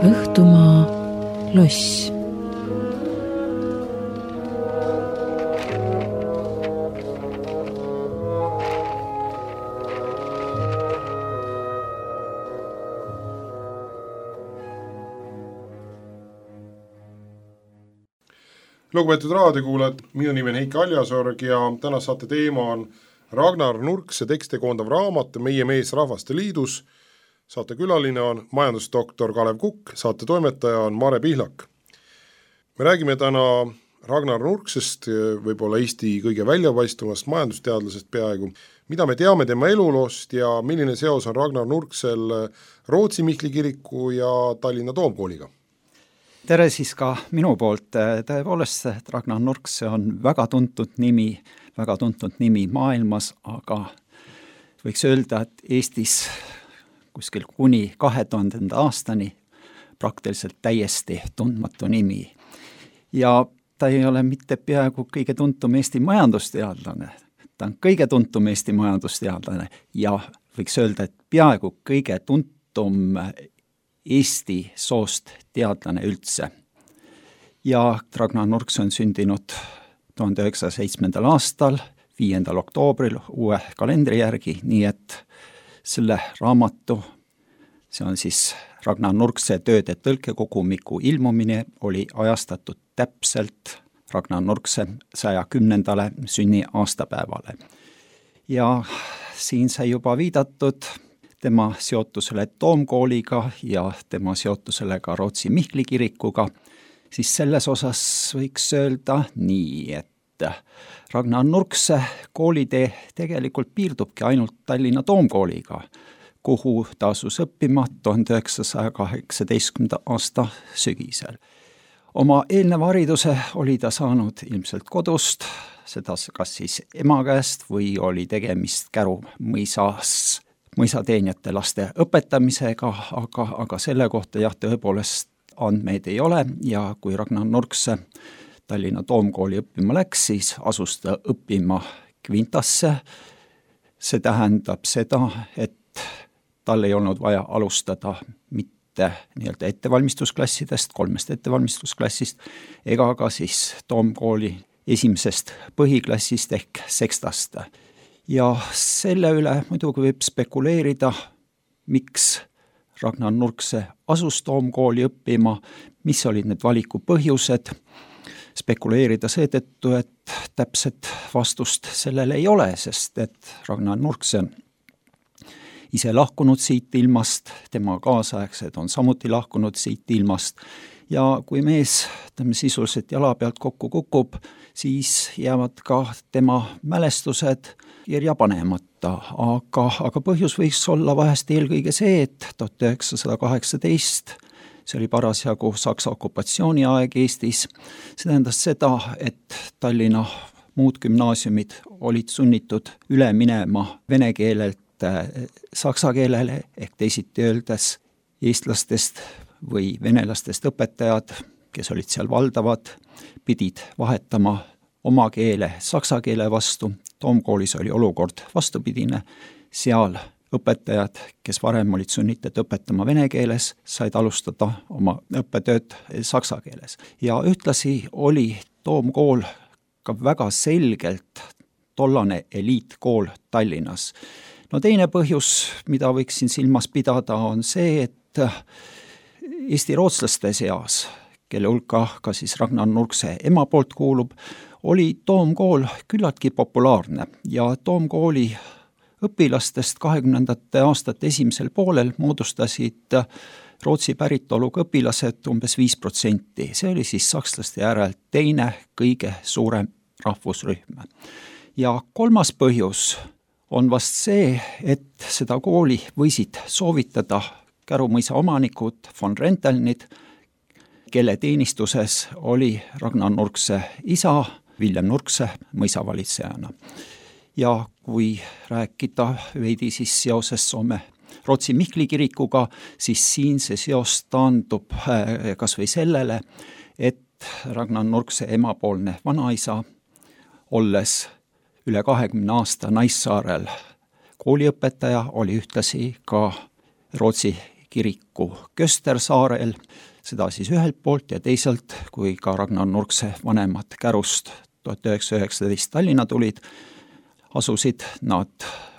Õhtumaa loss. Lugupeetud raadiokuulajad, minu nimi on Heiki Aljasorg ja täna saate teema on Ragnar Nurkse tekste koondav raamat Meie mees Rahvaste Liidus. Saate külaline on majandusdoktor Kalev Kukk, saate toimetaja on Mare Pihlak. Me räägime täna Ragnar Nurksest, võib-olla Eesti kõige väljapaistvamast majandusteadlasest peaaegu. Mida me teame tema eluloost ja milline seos on Ragnar Nurksel Rootsi Mihkli kiriku ja Tallinna Toomkooliga? Tere siis ka minu poolt. Tõepoolest, Ragnar Nurkse on väga tuntud nimi maailmas, aga võiks öelda, et Eestis kuskil kuni 2000. aastani praktiliselt täiesti tundmatu nimi. Ja ta ei ole mitte peaaegu kõige tuntum Eesti majandusteadlane, ta on kõige tuntum Eesti majandusteadlane ja võiks öelda, et peaaegu kõige tuntum Eesti soost teadlane üldse. Ja Ragnar Nurkse on sündinud 1907. aastal, 5. oktoobril uue kalendri järgi, nii et selle raamatu, see on siis Ragnar Nurkse tööde tõlkekogumiku ilmumine, oli ajastatud täpselt Ragnar Nurkse 110. sünni aastapäevale. Ja siin sai juba viidatud tema seotusele Toomkooliga ja tema seotusele ka Rootsi Mihkli kirikuga, siis selles osas võiks öelda nii, et Ragnar Nurkse koolitee tegelikult piirdubki ainult Tallinna Toomkooliga, kuhu ta asus õppima 1918. aasta sügisel. Oma eelneva hariduse oli ta saanud ilmselt kodust, seda kas siis ema käest või oli tegemist Käru mõisateenijate laste õpetamisega, aga selle kohta jah, tõepoolest andmeid ei ole ja kui Ragnar Nurkse Tallinna Toomkooli õppima läks, siis asus ta õppima Kvintasse. See tähendab seda, et tal ei olnud vaja alustada mitte nii-öelda ettevalmistusklassidest, 3 ettevalmistusklassist, ega ka siis Toomkooli esimesest põhiklassist ehk sekstast. Ja selle üle muidugi võib spekuleerida, miks Ragnar Nurkse asus Toomkooli õppima, mis olid need valiku põhjused, spekuleerida seetõttu, et täpset vastust sellele ei ole, sest et Ragnar Nurkse on ise lahkunud siit ilmast, tema kaasaegsed on samuti lahkunud siit ilmast ja kui mees sisuliselt jala pealt kokku kukub, siis jäävad ka tema mälestused kirja panemata, aga põhjus võiks olla vahest eelkõige see, et 1918, see oli parasjagu Saksa okupatsiooni aeg Eestis, see tähendas seda, et Tallinna muud gümnaasiumid olid sunnitud üle minema vene keelelt saksa keelele, ehk teisiti öeldes eestlastest või venelastest õpetajad, kes olid seal valdavad, pidid vahetama oma keele saksa keele vastu. Toomkoolis oli olukord vastupidine, seal õpetajad, kes varem olid sunnitud õpetama vene keeles, said alustada oma õppetööd saksa keeles. Ja ühtlasi oli Toomkool ka väga selgelt tollane eliitkool Tallinnas. No teine põhjus, mida võiks siin silmas pidada, on see, et Eesti rootslaste seas, kelle hulka ka siis Ragnar Nurkse ema poolt kuulub, oli Toomkool küllaltki populaarne ja Toomkooli õpilastest 20. aastate esimesel poolel moodustasid Rootsi päritoluga õpilased umbes 5%. See oli siis sakslaste järel teine kõige suurem rahvusrühm. Ja kolmas põhjus on vast see, et seda kooli võisid soovitada Käru mõisa omanikud von Rentelnid, kelle teenistuses oli Ragnar Nurkse isa, Villem Nurkse mõisavalitsejana. Ja kui rääkida veidi siis seoses Rootsi Mihkli kirikuga, siis siin see seos taandub kas või sellele, et Ragnar Nurkse emapoolne vanaisa, olles üle 20 aasta Naissaarel kooliõpetaja, oli ühtlasi ka Rootsi kiriku Köstersaarel, seda siis ühelt poolt ja teisalt, kui ka Ragnar Nurkse vanemad Kärust 1919 Tallinna tulid, asusid nad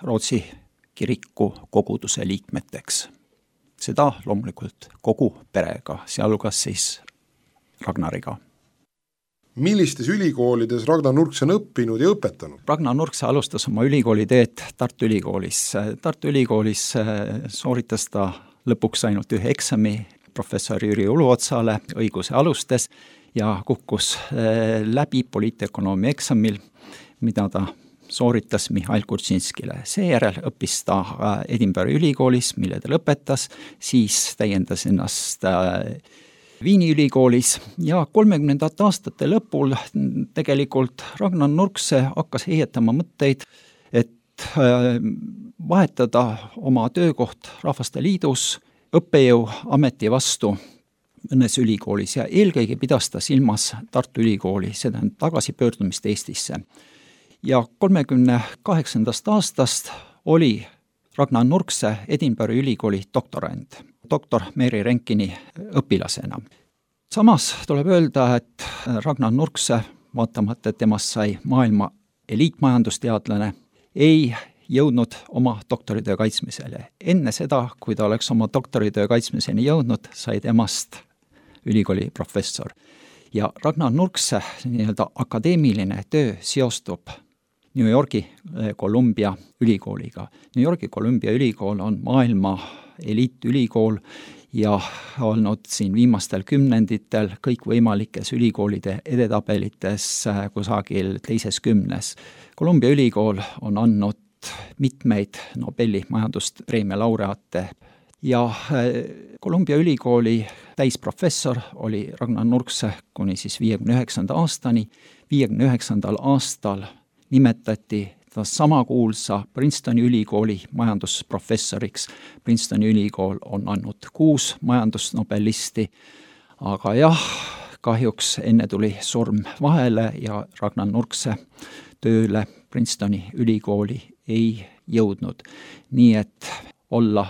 Rootsi kiriku koguduse liikmeteks. Seda loomulikult kogu perega, sealhulgas siis Ragnariga. Millistes ülikoolides Ragnar Nurkse on õppinud ja õpetanud? Ragnar Nurkse alustas oma ülikooliteed Tartu Ülikoolis. Tartu Ülikoolis sooritas ta lõpuks ainult ühe eksami professor Jüri Uluotsale õiguse alustes ja kukkus läbi poliitökonoomia eksamil, mida ta sooritas Mihhail Kurtšinskile. Seejärel õppis ta Edinburghi ülikoolis, mille ta lõpetas, siis täiendas ennast Viini ülikoolis ja 30. aastate lõpul tegelikult Ragnar Nurkse hakkas heietama mõtteid, et vahetada oma töökoht Rahvaste Liidus õppejõu ameti vastu mõnes ülikoolis ja eelkõige pidas ta silmas Tartu Ülikooli, seda tagasipöördumist Eestisse. Ja 38. aastast oli Ragnar Nurkse Edinburghi ülikooli doktorant, doktor Mary Renkini õpilasena. Samas tuleb öelda, et Ragnar Nurkse, vaatamata temast sai maailma eliitmajandusteadlane, ei jõudnud oma doktoritöö kaitsmisele. Enne seda, kui ta oleks oma doktoritöö kaitsmiseni jõudnud, sai temast ülikooli professor. Ja Ragnar Nurkse nii-öelda akadeemiline töö seostub New Yorgi Columbia ülikooliga. New Yorgi Columbia ülikool on maailma eliitülikool ja olnud siin viimastel kümnenditel kõikvõimalikes ülikoolide edetabelites kusagil teises 10. Columbia ülikool on andnud mitmeid Nobeli majanduspreemia laureaate ja Columbia ülikooli täisprofessor oli Ragnar Nurkse kuni siis 59. aastani. 59. aastal nimetati ta sama kuulsa Princetoni ülikooli majandusprofessoriks. Princetoni ülikool on andnud 6 majandusnobelisti, aga jah, kahjuks enne tuli surm vahele ja Ragnar Nurkse tööle Princetoni ülikooli ei jõudnud. Nii et olla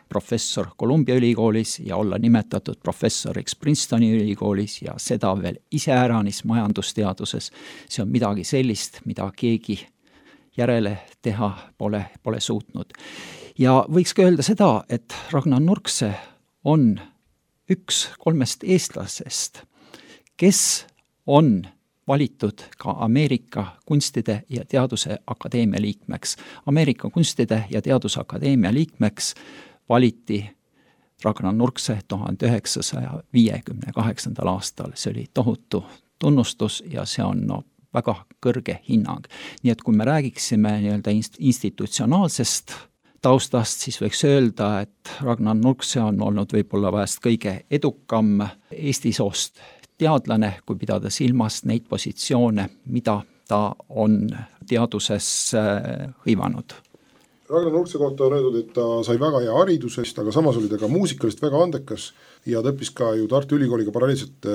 professor Columbia ülikoolis ja olla nimetatud professoriks Princetoni ülikoolis ja seda veel iseäranis majandusteaduses, see on midagi sellist, mida keegi järele teha pole suutnud. Ja võiks ka öelda seda, et Ragnar Nurkse on üks 3 eestlasest, kes on valitud ka Ameerika Kunstide ja Teaduse Akadeemia liikmeks. Ameerika Kunstide ja Teaduse Akadeemia liikmeks valiti Ragnar Nurkse 1958. aastal. See oli tohutu tunnustus ja see on väga kõrge hinnang. Nii et kui me räägiksime nii-öelda institutsionaalsest taustast, siis võiks öelda, et Ragnar Nurkse on olnud võib-olla vahest kõige edukam Eesti soost teadlane, kui pidada silmas neid positsioone, mida ta on teaduses hõivanud. Ragnar Nurkse kohta on öeldud, et ta sai väga hea haridusest, aga samas oli ta ka muusikalist väga andekas ja ta õppis ka ju Tartu Ülikooliga paralleelselt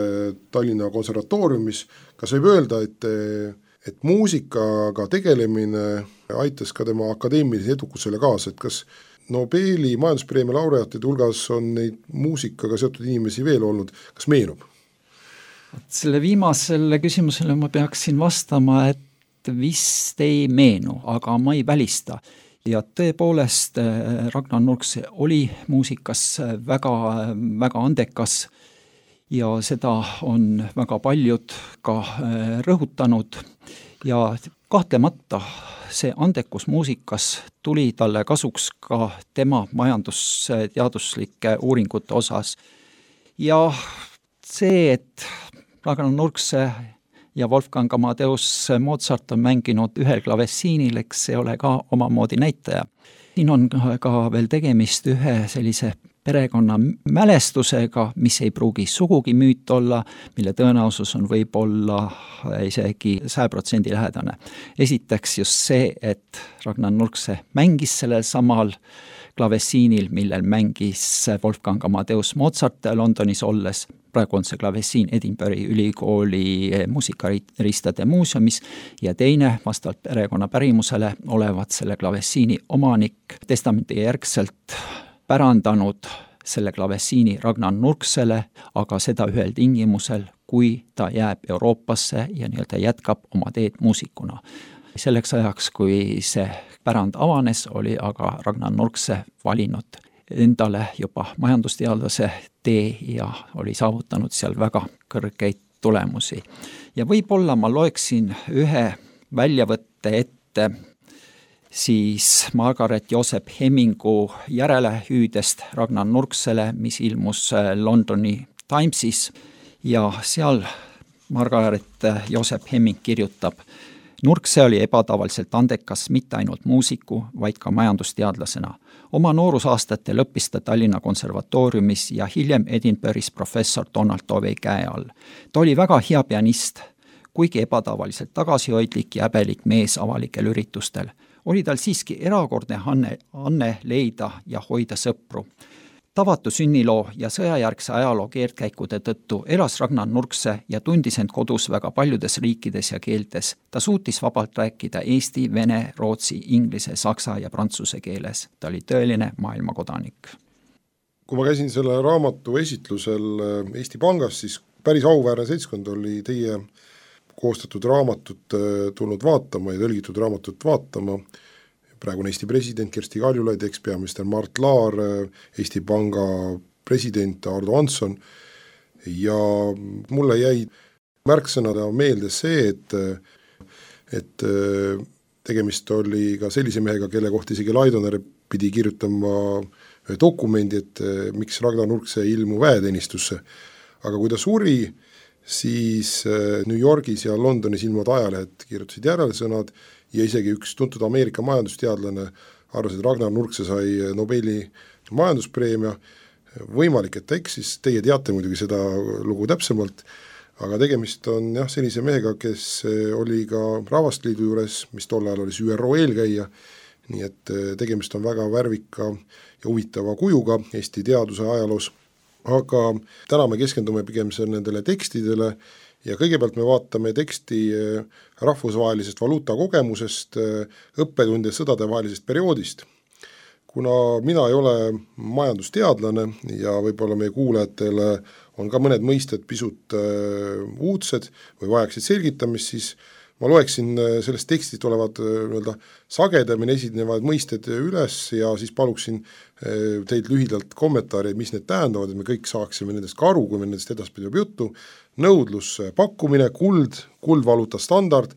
Tallinna konservatooriumis. Kas võib öelda, et muusikaga tegelemine aitas ka tema akadeemilise edukusele kaasa, et kas Nobeli majanduspreemia laureaatide hulgas on neid muusikaga seotud inimesi veel olnud, kas meenub? Selle viimasele küsimusele ma peaksin vastama, et vist ei meenu, aga ma ei välista. Ja tõepoolest Ragnar Nurkse oli muusikas väga, väga andekas ja seda on väga paljud ka rõhutanud ja kahtlemata see andekus muusikas tuli talle kasuks ka tema majandusteaduslike uuringute osas. Ja see, et Ragnar Nurkse ja Wolfgang Amadeus Mozart on mänginud ühel klavessiinil, eks see ole ka omamoodi näitaja. Siin on ka veel tegemist ühe sellise perekonna mälestusega, mis ei pruugi sugugi müüt olla, mille tõenäosus on võib-olla isegi 100% lähedane. Esiteks just see, et Ragnar Nurkse mängis sellel samal klavessiinil, millel mängis Wolfgang Amadeus Mozart Londonis olles. Praegu on see klavessiin Edinburghi ülikooli muusikaristade muuseumis ja teine vastavalt perekonna pärimusele olevat selle klavessiini omanik testamenti järgselt pärandanud selle klavessiini Ragnar Nurksele, aga seda ühel tingimusel, kui ta jääb Euroopasse ja nii-öelda jätkab oma teed muusikuna. Selleks ajaks, kui see pärand avanes, oli aga Ragnar Nurkse valinud endale juba majandusteadlase tee ja oli saavutanud seal väga kõrgeid tulemusi. Ja võib-olla ma loeksin ühe väljavõtte ette siis Margaret Joseph Hemmingu järelehüüdest Ragnar Nurksele, mis ilmus Londoni Timesis ja seal Margaret Joseph Hemming kirjutab: Nurkse oli ebatavaliselt andekas mitte ainult muusiku, vaid ka majandusteadlasena. Oma noorusaastatel õppis ta Tallinna konservatooriumis ja hiljem Edinburgh'is professor Donald Tovey käe all. Ta oli väga hea pianist, kuigi ebatavaliselt tagasihoidlik ja häbelik mees avalikel üritustel. Oli tal siiski erakordne anne leida ja hoida sõpru. Tavatu sünniloo ja sõjajärgse ajaloo keerdkäikude tõttu elas Ragnar Nurkse ja tundis end kodus väga paljudes riikides ja keeltes. Ta suutis vabalt rääkida eesti, vene, rootsi, inglise, saksa ja prantsuse keeles. Ta oli tõeline maailmakodanik. Kui ma käisin selle raamatu esitlusel Eesti Pangas, siis päris auväärne seltskond oli teie koostatud raamatut tulnud vaatama ja tõlgitud raamatut vaatama. Praegune Eesti president Kersti Kaljulaid, ekspeaminister Mart Laar, Eesti Panga president Ardo Hansson ja mulle jäi märksõnada meelde see, et tegemist oli ka sellise mehega, kelle kohta isegi Laidoner pidi kirjutama dokumendi, et miks Ragnar Nurkse ei ilmu väeteenistusse. Aga kui ta suri, siis New Yorgis ja Londonis ilmuvad ajalehed kirjutasid järelsõnad ja isegi üks tuntud Ameerika majandusteadlane arvas, et Ragnar Nurkse sai Nobeli majanduspreemia. Võimalik, et ta eksis, teie teate muidugi seda lugu täpsemalt, aga tegemist on sellise mehega, kes oli ka Rahvasteliidu juures, mis tol ajal oli ÜRO eelkäija, nii et tegemist on väga värvika ja huvitava kujuga Eesti teaduse ajaloos. Aga täna me keskendume pigem nendele tekstidele ja kõigepealt me vaatame teksti rahvusvahelisest valuutakogemusest, õppetunde sõdade vahelisest perioodist. Kuna mina ei ole majandusteadlane ja võib-olla meie kuulajatele on ka mõned mõisted pisut uudsed või vajaksid selgitamist, siis ma loeksin sellest tekstist olevad sagedamini esinevad mõisted üles ja siis paluksin teid lühidalt kommentaari, mis need tähendavad, et me kõik saaksime nendest ka aru, kui me nendest edaspidi juba juttu. Nõudlus, pakkumine, kuldvaluuta standard,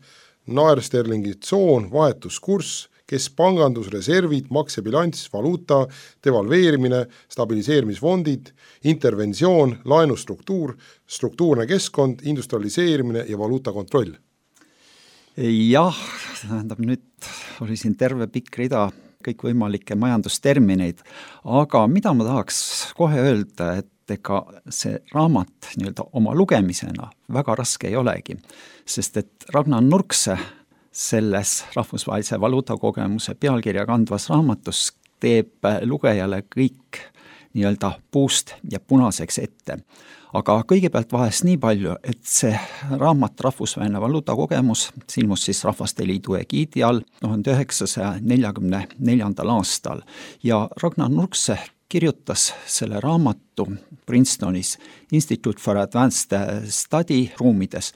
naersterlingi tsoon, vahetuskurss, keskpangandus, reservid, maksebilanss, valuuta, devalveerimine, stabiliseerimisfondid, interventsioon, laenustruktuur, struktuurne keskkond, industrialiseerimine ja valuuta kontroll. Jah, tähendab, nüüd oli siin terve pikk rida kõikvõimalikke majandustermineid, aga mida ma tahaks kohe öelda, et ega see raamat nii-öelda oma lugemisena väga raske ei olegi, sest et Ragnar Nurkse selles rahvusvahelise valuutakogemuse pealkirja kandvas raamatus teeb lugejale kõik nii-öelda puust ja punaseks ette. Aga kõigepealt vahest nii palju, et see raamat Rahvusvaheline valuutakogemus ilmus siis Rahvasteliidu egiidi all 1944. aastal ja Ragnar Nurkse kirjutas selle raamatu Princetonis Institute for Advanced Study ruumides.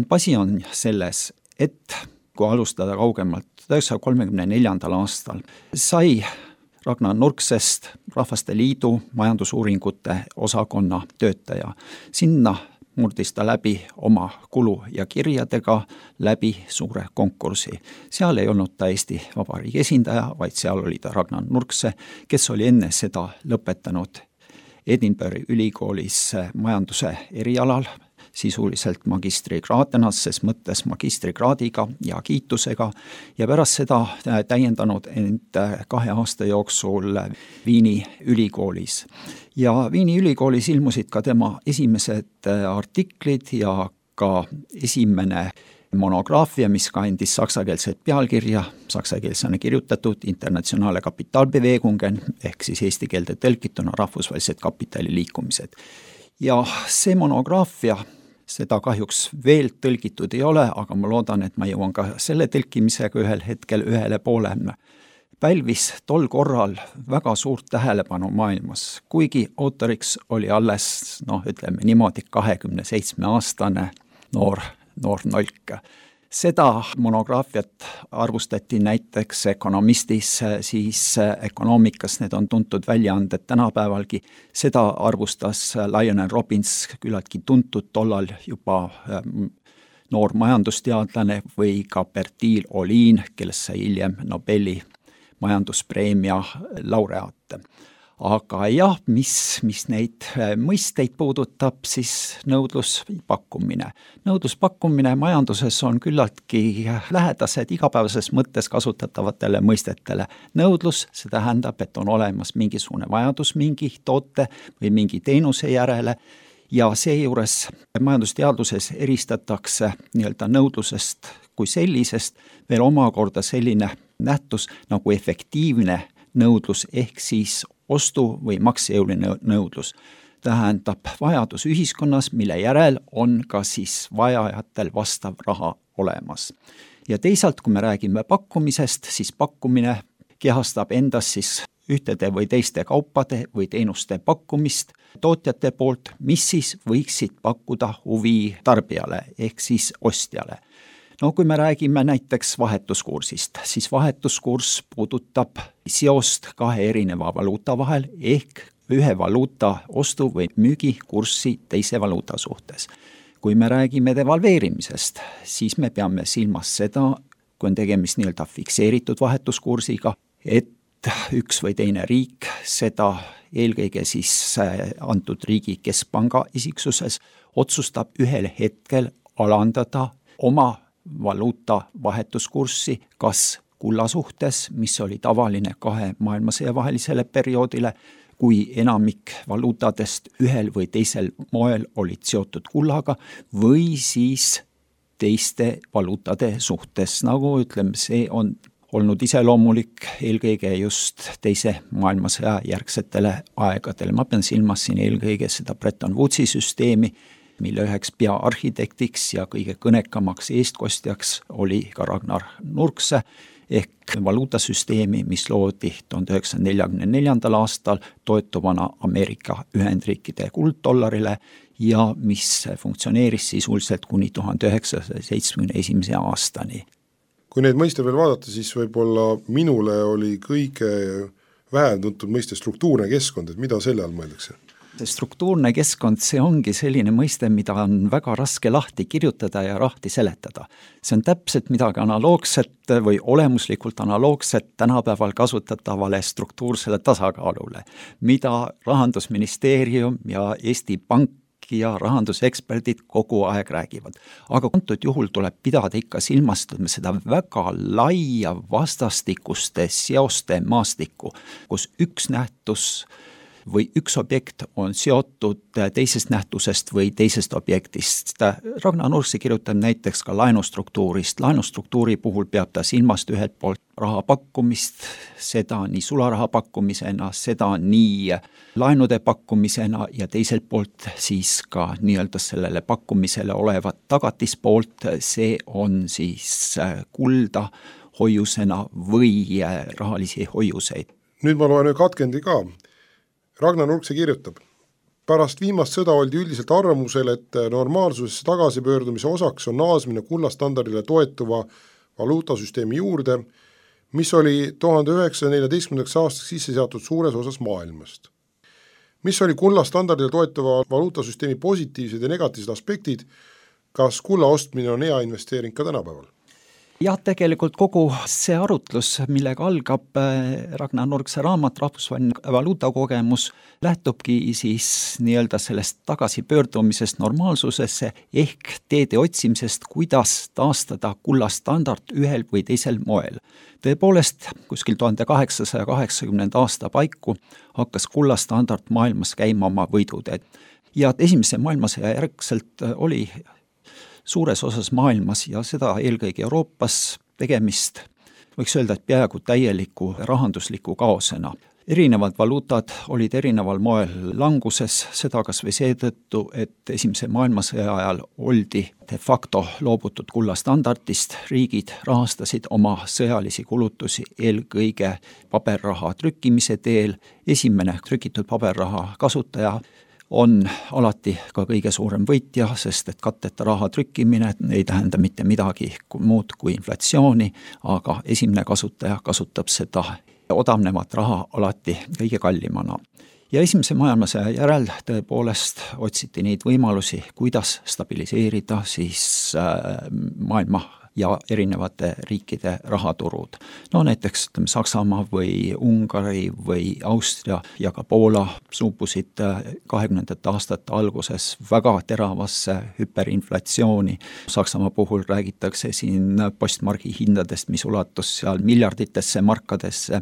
Asi on selles, et kui alustada kaugemalt 1934. aastal, sai Ragnar Nurksest Rahvasteliidu majandusuuringute osakonna töötaja. Sinna murdis ta läbi oma kulu ja kirjadega läbi suure konkursi. Seal ei olnud ta Eesti Vabariigi esindaja, vaid seal oli ta Ragnar Nurkse, kes oli enne seda lõpetanud Edinburgh'i ülikoolis majanduse erialal, sisuliselt magistrikraadena, ses mõttes magistrikraadiga ja kiitusega ja pärast seda täiendanud end 2 aasta jooksul Viini ülikoolis. Ja Viini ülikoolis ilmusid ka tema esimesed artiklid ja ka esimene monograafia, mis kandis saksakeelset pealkirja, saksakeelsena kirjutatud Internationale Kapitalbewegungen ehk siis eesti keelde tõlkituna rahvusvahelised kapitaliliikumised. Ja see monograafia, seda kahjuks veel tõlgitud ei ole, aga ma loodan, et ma jõuan ka selle tõlkimisega ühel hetkel ühele poole. pälvis tol korral väga suurt tähelepanu maailmas, kuigi autoriks oli alles, ütleme niimoodi, 27-aastane noor nolk. Seda monograafiat arvustati näiteks Economistis, siis Econoomikas, need on tuntud väljaanded tänapäevalgi, seda arvustas Lionel Robbins, küllaltki tuntud tollal juba noor majandusteadlane, või ka Bertil Ohlin, kellest sai hiljem Nobeli majanduspreemia laureaate. Aga jah, mis neid mõisteid puudutab, siis nõudluspakkumine. Nõudluspakkumine majanduses on küllaltki lähedased igapäevases mõttes kasutatavatele mõistetele. Nõudlus, see tähendab, et on olemas mingisugune vajadus mingi toote või mingi teenuse järele, ja seejuures majandusteadluses eristatakse nii-öelda nõudlusest kui sellisest veel omakorda selline nähtus nagu efektiivne nõudlus ehk siis ostu- või maksejõuline nõudlus. Tähendab vajadus ühiskonnas, mille järel on ka siis vajajatel vastav raha olemas. Ja teisalt, kui me räägime pakkumisest, siis pakkumine kehastab endas siis ühtede või teiste kaupade või teenuste pakkumist tootjate poolt, mis siis võiksid pakkuda huvi tarbijale ehk siis ostjale. Kui me räägime näiteks vahetuskursist, siis vahetuskurss puudutab seost kahe erineva valuuta vahel ehk ühe valuuta ostu- või müügikurssi teise valuuta suhtes. Kui me räägime devalveerimisest, siis me peame silmas seda, kui on tegemist nii-öelda fikseeritud vahetuskursiga, et üks või teine riik seda eelkõige siis antud riigi keskpanga isiksuses otsustab ühel hetkel alandada oma valuuta vahetuskurssi kas kulla suhtes, mis oli tavaline kahe maailmasõja vahelisele perioodile, kui enamik valuutadest ühel või teisel moel olid seotud kullaga, või siis teiste valuutade suhtes, nagu ütleme, see on olnud iseloomulik eelkõige just teise maailmasõja järgsetele aegadele. Ma pean silmas siin eelkõige seda Bretton Woodsi süsteemi, mille üheks peaarhitektiks ja kõige kõnekamaks eestkostjaks oli ka Ragnar Nurkse ehk valuutasüsteemi, mis loodi 1944. aastal toetuvana Ameerika Ühendriikide kulddollarile ja mis funktsioneeris sisuliselt kuni 1971. aastani. Kui neid mõiste veel vaadata, siis võib-olla minule oli kõige vähem tuntud mõiste struktuurne keskkond, et mida selle all mõeldakse? Struktuurne keskkond, see ongi selline mõiste, mida on väga raske lahti kirjutada ja lahti seletada. See on täpselt midagi analoogset või olemuslikult analoogset tänapäeval kasutatavale struktuursele tasakaalule, mida Rahandusministeerium ja Eesti Pank ja rahanduseksperdid kogu aeg räägivad. Aga antud juhul tuleb pidada ikka silmas seda väga laia vastastikuste seoste maastikku, kus üks nähtus või üks objekt on seotud teisest nähtusest või teisest objektist. Ragnar Nurkse kirjutab näiteks ka laenustruktuurist. Laenustruktuuri puhul peab ta silmast ühelt poolt raha pakkumist, seda nii sularaha pakkumisena, seda nii laenude pakkumisena ja teiselt poolt siis ka nii-öelda sellele pakkumisele olevat tagatispoolt, see on siis kulda hoiusena või rahalisi hoiuseid. Nüüd ma loen ühe katkendi ka. Ragnar Nurkse kirjutab, pärast viimast sõda oldi üldiselt arvamusel, et normaalsusesse tagasipöördumise osaks on naasmine kullastandardile toetuva valuutasüsteemi juurde, mis oli 1914. aastaks sisse seatud suures osas maailmast. Mis oli kullastandardile toetuva valuutasüsteemi positiivsed ja negatiivsed aspektid, kas kulla ostmine on hea investeering ka tänapäeval? Jah, tegelikult kogu see arutlus, millega algab Ragnar Nurkse raamat Rahvusvaheline valuutakogemus, lähtubki siis nii-öelda sellest tagasipöördumisest normaalsusesse ehk teede otsimisest, kuidas taastada kullastandard ühel või teisel moel. Tõepoolest, kuskil 1880. aasta paiku hakkas kullastandard maailmas käima oma võiduteed ja esimese maailmasõja järgselt oli suures osas maailmas ja seda eelkõige Euroopas tegemist, võiks öelda, et peaaegu täieliku rahandusliku kaosena. erinevad valuutad olid erineval moel languses, seda kas või seetõttu, et esimese maailmasõja ajal oldi de facto loobutud kullastandardist, riigid rahastasid oma sõjalisi kulutusi eelkõige paberraha trükkimise teel, esimene trükitud paberraha kasutaja on alati ka kõige suurem võitja, sest et katteta raha trükkimine ei tähenda mitte midagi muud kui inflatsiooni, aga esimene kasutaja kasutab seda odavnevat raha alati kõige kallimana. Ja esimese maailmasõja järel tõepoolest otsiti neid võimalusi, kuidas stabiliseerida siis maailma ja erinevate riikide rahaturud. No näiteks Saksamaa või Ungari või Austria ja ka Poola suubusid 20. aastate alguses väga teravasse hüperinflatsiooni. Saksamaa puhul räägitakse siin postmargi hindadest, mis ulatus seal miljarditesse markadesse.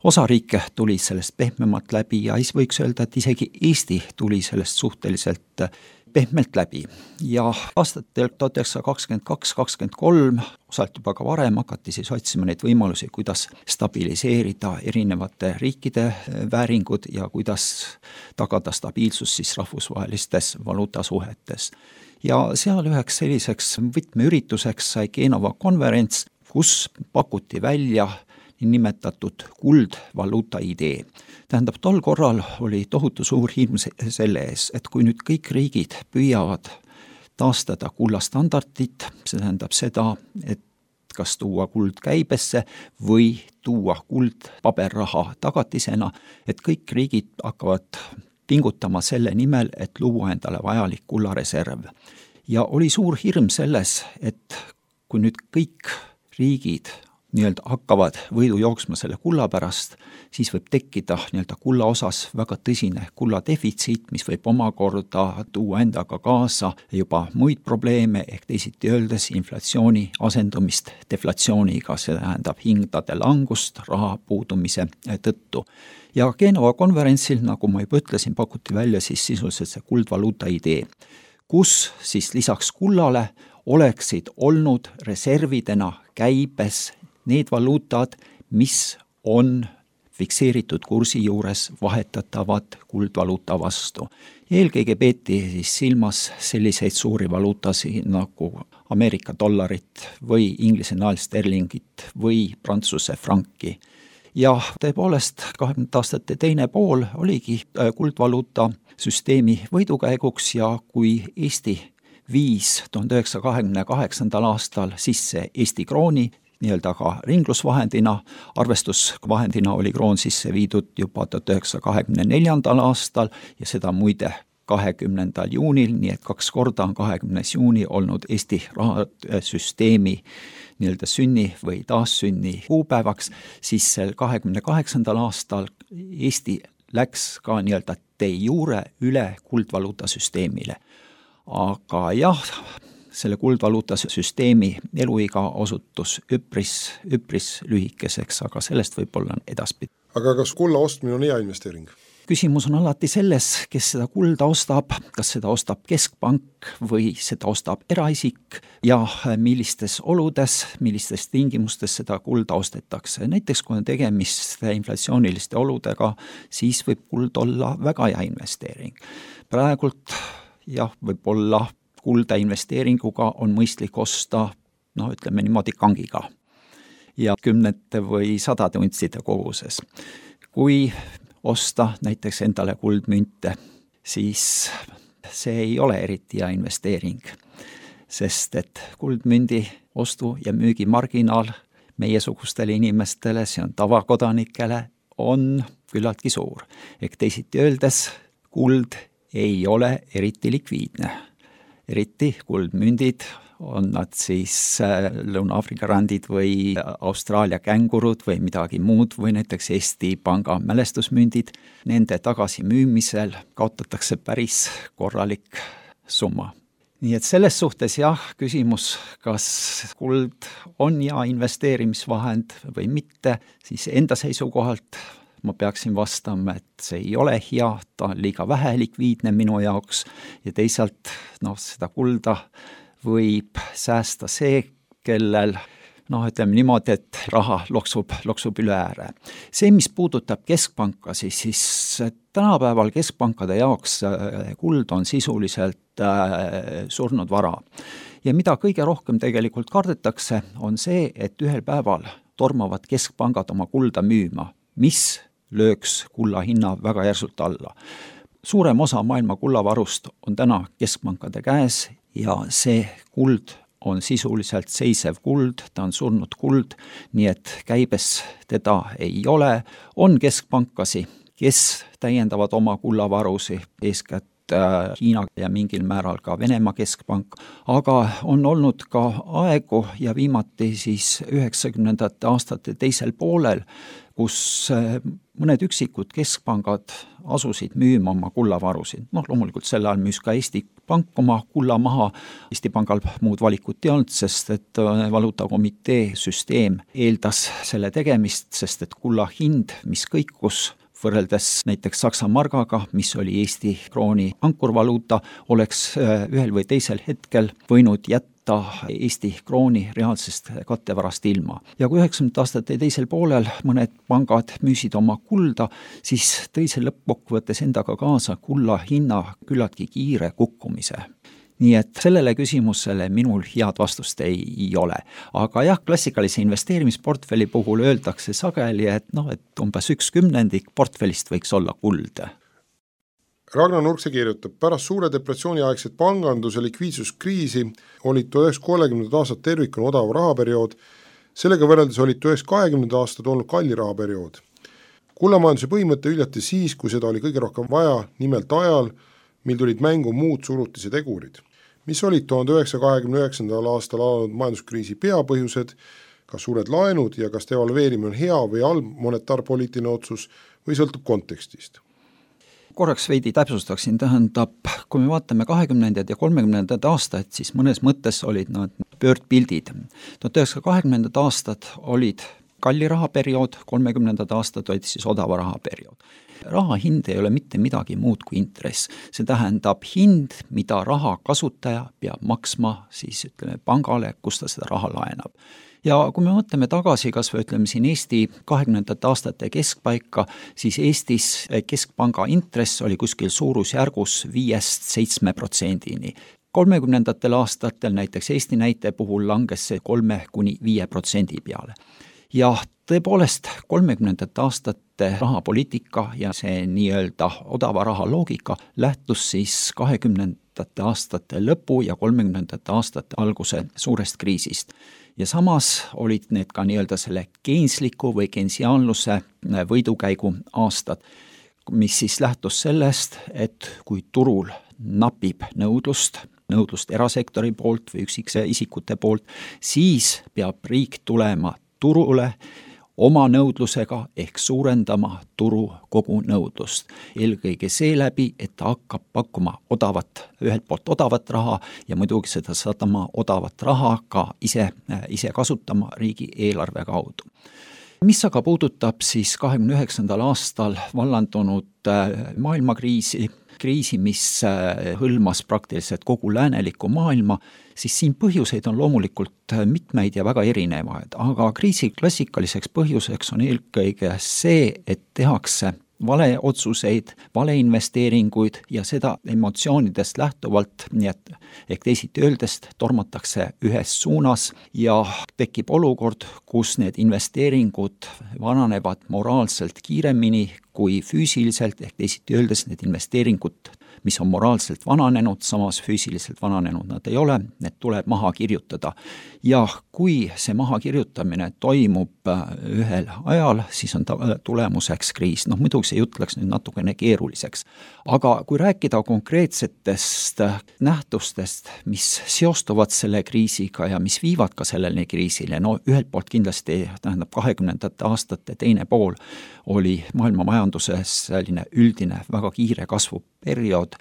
Osa riike tuli sellest pehmemalt läbi ja võiks öelda, et isegi Eesti tuli sellest suhteliselt pehmelt läbi ja aastatel 1922-23, osalt juba ka varem, hakati siis otsima neid võimalusi, kuidas stabiliseerida erinevate riikide vääringud ja kuidas tagada stabiilsus siis rahvusvahelistes valuutasuhetes. Ja seal üheks selliseks võtmeürituseks sai Genova konverents, kus pakuti välja nimetatud kuldvaluuta idee. Tähendab, tol korral oli tohutu suur hirm selle ees, et kui nüüd kõik riigid püüavad taastada kullastandardit, see tähendab seda, et kas tuua kuld käibesse või tuua kuld paberraha tagatisena, et kõik riigid hakkavad pingutama selle nimel, et luua endale vajalik kullareserv. Ja oli suur hirm selles, et kui nüüd kõik riigid hakkavad võidu jooksma selle kulla pärast, siis võib tekkida kulla osas väga tõsine kulladefitsiit, mis võib omakorda tuua endaga kaasa juba muid probleeme, ehk teisiti öeldes inflatsiooni asendumist deflatsiooniga, see tähendab hindade langust raha puudumise tõttu. Ja Genova konverentsil, nagu ma juba ütlesin, pakuti välja siis sisuliselt see kuldvaluuta idee, kus siis lisaks kullale oleksid olnud reservidena käibes need valuutad, mis on fikseeritud kursi juures vahetatavad kuldvaluuta vastu. Eelkõige peeti siis silmas selliseid suuri valuutasid nagu Ameerika dollarit või Inglise naelsterlingit või Prantsuse franki. Ja tõepoolest 20 aastate teine pool oligi kuldvaluuta süsteemi võidukäiguks ja kui Eesti viis 1928. aastal sisse Eesti krooni, nii-öelda ka ringlusvahendina, arvestusvahendina oli kroon sisse viidud juba 1924. aastal ja seda muide 20. juunil, nii et 2 korda on 20. juuni olnud Eesti rahasüsteemi nii-öelda sünni või taassünni kuupäevaks, siis sel 28. aastal Eesti läks ka nii-öelda de jure üle kuldvaluutasüsteemile. Aga jah, selle kuldvaluuta süsteemi eluiga osutus üpris lühikeseks, aga sellest võib-olla edaspidi. Aga kas kulla ostmine on hea investeering? Küsimus on alati selles, kes seda kulda ostab, kas seda ostab keskpank või seda ostab eraisik ja millistes oludes, millistes tingimustes seda kulda ostetakse. Näiteks kui on tegemist inflatsiooniliste oludega, siis võib kuld olla väga hea investeering. Praegult jah, võib-olla kulda investeeringuga on mõistlik osta, ütleme niimoodi kangiga ja 10 või 100 untside koguses. Kui osta näiteks endale kuldmünte, siis see ei ole eriti hea investeering, sest et kuldmündi ostu- ja müügimarginaal meiesugustele inimestele, see on tavakodanikele, on küllaltki suur. Ehk teisiti öeldes, kuld ei ole eriti likviidne. Eriti kuldmündid, on nad siis Lõuna-Aafrika randid või Austraalia kängurud või midagi muud või näiteks Eesti Panga mälestusmündid, nende tagasimüümisel kaotatakse päris korralik summa. Nii et selles suhtes jah, küsimus, kas kuld on hea investeerimisvahend või mitte, siis enda seisukohalt ma peaksin vastama, et see ei ole hea, ta on liiga vähe likviidne minu jaoks ja teisalt seda kulda võib säästa see, kellel ütleme niimoodi, et raha loksub üle ääre. See, mis puudutab keskpanka, siis tänapäeval keskpankade jaoks kuld on sisuliselt surnud vara. Ja mida kõige rohkem tegelikult kardetakse, on see, et ühel päeval tormavad keskpangad oma kulda müüma, mis lööks kulla hinna väga järsult alla. Suurem osa maailma kullavarust on täna keskpankade käes ja see kuld on sisuliselt seisev kuld, ta on surnud kuld, nii et käibes teda ei ole. On keskpankasi, kes täiendavad oma kullavarusi, eeskätt Hiina ja mingil määral ka Venemaa keskpank, aga on olnud ka aegu ja viimati siis 90. aastate teisel poolel, kus mõned üksikud keskpangad asusid müüma oma kullavarusid. Loomulikult sel ajal müüs ka Eesti Pank oma kulla maha. Eesti Pangal muud valikut ei olnud, sest et valuutakomitee süsteem eeldas selle tegemist, sest et kulla hind, mis kõikus võrreldes näiteks Saksa margaga, mis oli Eesti krooni ankurvaluuta, oleks ühel või teisel hetkel võinud jätta Eesti krooni reaalsest kattevarast ilma. Ja kui 90. aastate teisel poolel mõned pangad müüsid oma kulda, siis tõi see lõppkokkuvõttes endaga kaasa kulla hinna küllaltki kiire kukkumise. Nii et sellele küsimusele minul head vastust ei ole. Aga jah, klassikalise investeerimisportfelli puhul öeldakse sageli, et umbes 1/10 portfellist võiks olla kuld. Ragnar Nurkse kirjutab, pärast suure depressiooni aegset panganduse likviidsuskriisi olid 1930. aastad tervikuna odav rahaperiood, sellega võrreldes olid 1920. aastad olnud kalli rahaperiood. Kullamajanduse põhimõte üljati siis, kui seda oli kõige rohkem vaja, nimelt ajal, mil tulid mängu muud surutise tegurid. Mis olid 1929. aastal alanud majanduskriisi peapõhjused, kas suured laenud ja kas devalveerimine on hea või halb monetaarpoliitiline otsus või sõltub kontekstist? Korraks veidi täpsustaksin, tähendab, kui me vaatame 20. ja 30. aastaid, siis mõnes mõttes olid nad pöördpildid. 1920. aastad olid kalli rahaperiood, 30. aastad olid siis odava rahaperiood. Raha hind ei ole mitte midagi muud kui intress. See tähendab hind, mida raha kasutaja peab maksma siis pangale, kus ta seda raha laenab. Ja kui me mõtleme tagasi, kas või siin Eesti 20. aastate keskpaika, siis Eestis keskpanga intress oli kuskil suurusjärgus 5-7%. 30. aastatel näiteks Eesti näite puhul langes see 3-5% peale. Ja tõepoolest 30. aastate rahapoliitika ja see nii-öelda odava raha loogika lähtus siis 20. aastate lõpu ja 30. aastate alguse suurest kriisist. Ja samas olid need ka nii-öelda selle keensliku või kensiaanluse võidukäigu aastad, mis siis lähtus sellest, et kui turul napib nõudlust erasektori poolt või üksikisikute poolt, siis peab riik tulema turule oma nõudlusega ehk suurendama turu kogu nõudlust. Eelkõige seeläbi, et ta hakkab pakkuma ühelt poolt odavat raha ja muidugi seda sadama odavat raha ka ise kasutama riigi eelarve kaudu. Mis aga puudutab siis 29. aastal vallandunud maailmakriisi, mis hõlmas praktiliselt kogu läänelikku maailma, siis siin põhjuseid on loomulikult mitmeid ja väga erinevaid, aga kriisi klassikaliseks põhjuseks on eelkõige see, et tehakse valeotsuseid, valeinvesteeringuid ja seda emotsioonidest lähtuvalt, nii et ehk teisiti öeldest tormatakse ühes suunas ja tekib olukord, kus need investeeringud vananevad moraalselt kiiremini kui füüsiliselt, ehk teisiti öeldes need investeeringud, mis on moraalselt vananenud, samas füüsiliselt vananenud nad ei ole, need tuleb maha kirjutada. Ja kui see maha kirjutamine toimub ühel ajal, siis on tulemuseks kriis. Muidugi see jutt läks nüüd natukene keeruliseks. Aga kui rääkida konkreetsetest nähtustest, mis seostuvad selle kriisiga ja mis viivad ka sellele kriisile, ühelt poolt kindlasti tähendab 20. aastate teine pool oli maailma majanduses selline üldine väga kiire kasvuperiood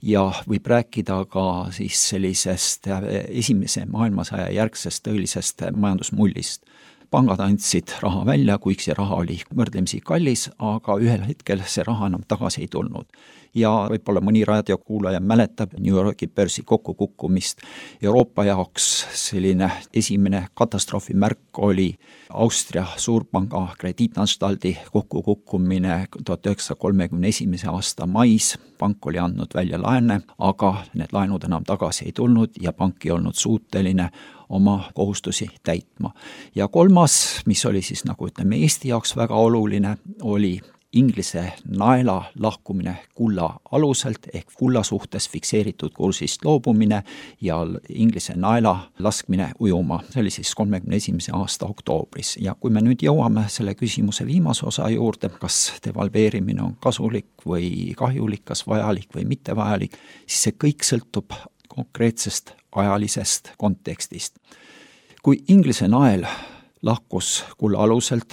ja võib rääkida ka siis sellisest esimese maailmasõja järgsest tõelisest majandusmullist. Pangad andsid raha välja, kuigi see raha oli võrdlemisi kallis, aga ühel hetkel see raha enam tagasi ei tulnud. ja võib-olla mõni raadiokuulaja mäletab New Yorgi börsi kokkukukkumist. Euroopa jaoks selline esimene katastroofimärk oli Austria suurpanga krediitanstaldi kokkukukkumine 1931. aasta mais. Pank oli andnud välja laene, aga need laenud enam tagasi ei tulnud ja pank ei olnud suuteline oma kohustusi täitma. Ja kolmas, mis oli siis Eesti jaoks väga oluline, oli Inglise naela lahkumine kulla aluselt ehk kulla suhtes fikseeritud kursist loobumine ja Inglise naela laskmine ujuma. See oli siis 31. aasta oktoobris. Ja kui me nüüd jõuame selle küsimuse viimase osa juurde, kas devalveerimine on kasulik või kahjulik, kas vajalik või mitte vajalik, siis see kõik sõltub konkreetsest ajalisest kontekstist. Kui Inglise nael lahkus kulla aluselt,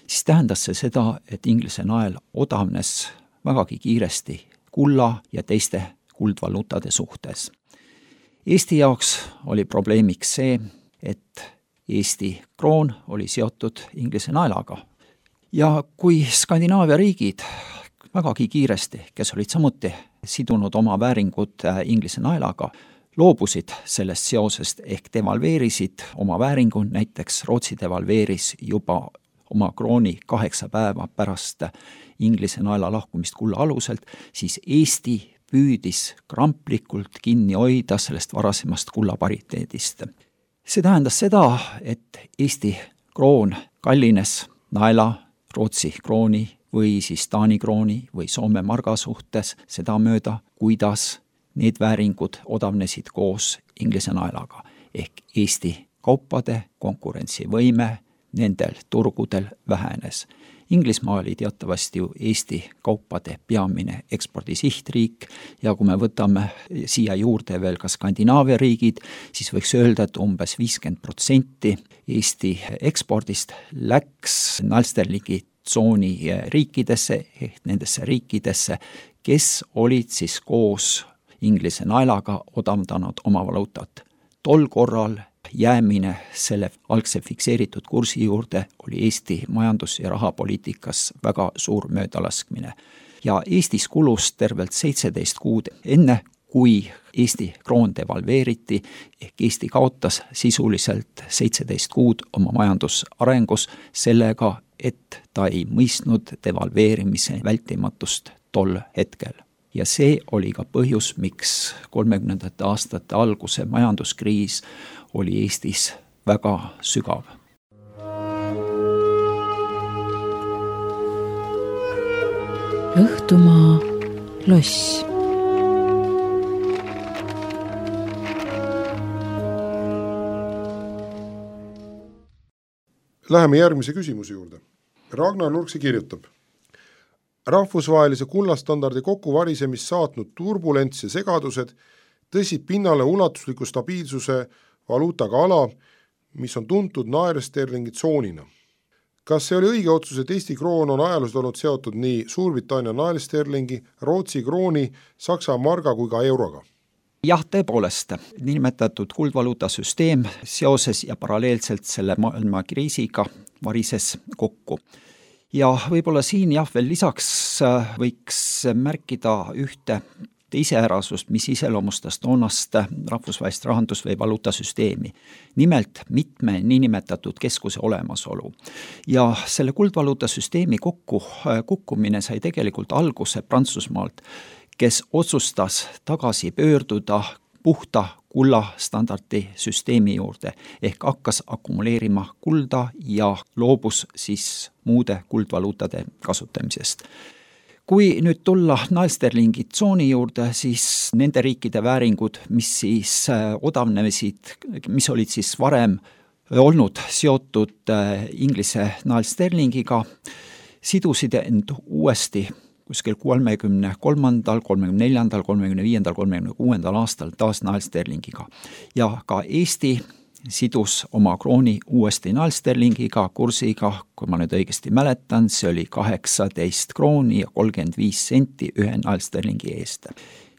siis tähendas see seda, et Inglise nael odavnes vägagi kiiresti kulla ja teiste kuldvaluutade suhtes. Eesti jaoks oli probleemiks see, et Eesti kroon oli seotud Inglise naelaga. Ja kui Skandinaavia riigid vägagi kiiresti, kes olid samuti sidunud oma vääringud Inglise naelaga, loobusid sellest seosest ehk devalveerisid oma vääringu, näiteks Rootsi devalveeris juba oma krooni 8 päeva pärast Inglise naela lahkumist kulla aluselt, siis Eesti püüdis kramplikult kinni hoida sellest varasemast kulla pariteedist. See tähendas seda, et Eesti kroon kallines naela, Rootsi krooni või siis Taani krooni või Soome marga suhtes sedamööda, kuidas need vääringud odavnesid koos Inglise naelaga ehk Eesti kaupade konkurentsivõime nendel turgudel vähenes. Inglismaa oli teatavasti ju Eesti kaupade peamine ekspordisihtriik ja kui me võtame siia juurde veel ka Skandinaavia riigid, siis võiks öelda, et umbes 50% Eesti ekspordist läks Nalsterlingi tsooni riikidesse ehk nendesse riikidesse, kes olid siis koos Inglise naelaga odavdanud oma valuutat. Tol korral jäämine selle algse fikseeritud kursi juurde oli Eesti majandus- ja rahapoliitikas väga suur möödalaskmine. Ja Eestis kulus tervelt 17 kuud enne, kui Eesti kroon devalveeriti, ehk Eesti kaotas sisuliselt 17 kuud oma majandusarengus sellega, et ta ei mõistnud devalveerimise vältimatust tol hetkel. Ja see oli ka põhjus, miks 30. aastate alguse majanduskriis oli Eestis väga sügav. Õhtumaa loss. Läheme järgmise küsimuse juurde. Ragnar Nurksi kirjutab: rahvusvahelise kullastandardi kokkuvarisemist saatnud turbulents ja segadused tõsid pinnale ulatusliku stabiilsuse valuutaga ala, mis on tuntud naersterlingi tsoonina. Kas see oli õige otsus, et Eesti kroon on ajaloos olnud seotud nii Suurbritannia naersterlingi, Rootsi krooni, Saksa marga kui ka euroga? Jah, tõepoolest, nimetatud kuldvaluutasüsteem seoses ja paralleelselt selle maailmakriisiga varises kokku. Ja võib-olla siin veel lisaks võiks märkida ühte iseärasust, mis iseloomustas toonast rahvusvahelist rahandus- või valuutasüsteemi. Nimelt mitme niinimetatud keskuse olemasolu. Ja selle kuldvaluutasüsteemi kukkumine sai tegelikult alguse Prantsusmaalt, kes otsustas tagasi pöörduda puhta kulla standardi süsteemi juurde ehk hakkas akumuleerima kulda ja loobus siis muude kuldvaluutade kasutamisest. Kui nüüd tulla naelsterlingi tsooni juurde, siis nende riikide vääringud, mis siis odavnesid, mis olid siis varem olnud seotud Inglise naelsterlingiga, sidusid end uuesti kuskil 33., 34., 35., 36. aastal taas naelsterlingiga. Ja ka Eesti sidus oma krooni uuesti naelsterlingiga kursiga, kui ma nüüd õigesti mäletan, see oli 18 krooni ja 35 senti ühe naelsterlingi eest.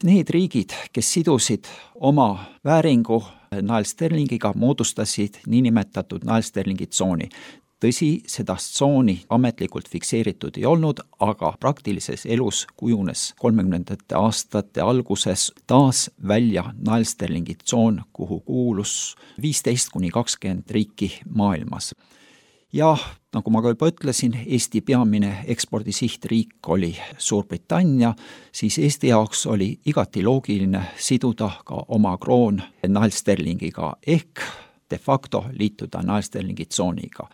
Need riigid, kes sidusid oma vääringu naelsterlingiga, moodustasid niinimetatud naelsterlingi tsooni. tõsi, seda tsooni ametlikult fikseeritud ei olnud, aga praktilises elus kujunes 30ndate aastate alguses taas välja Naelsterlingi tsoon, kuhu kuulus 15-20 riiki maailmas. Ja nagu ma ka juba ütlesin, Eesti peamine ekspordisihtriik oli Suurbritannia, siis Eesti jaoks oli igati loogiline siduda ka oma kroon Naelsterlingiga ehk de facto liituda Naelsterlingi tsooniga.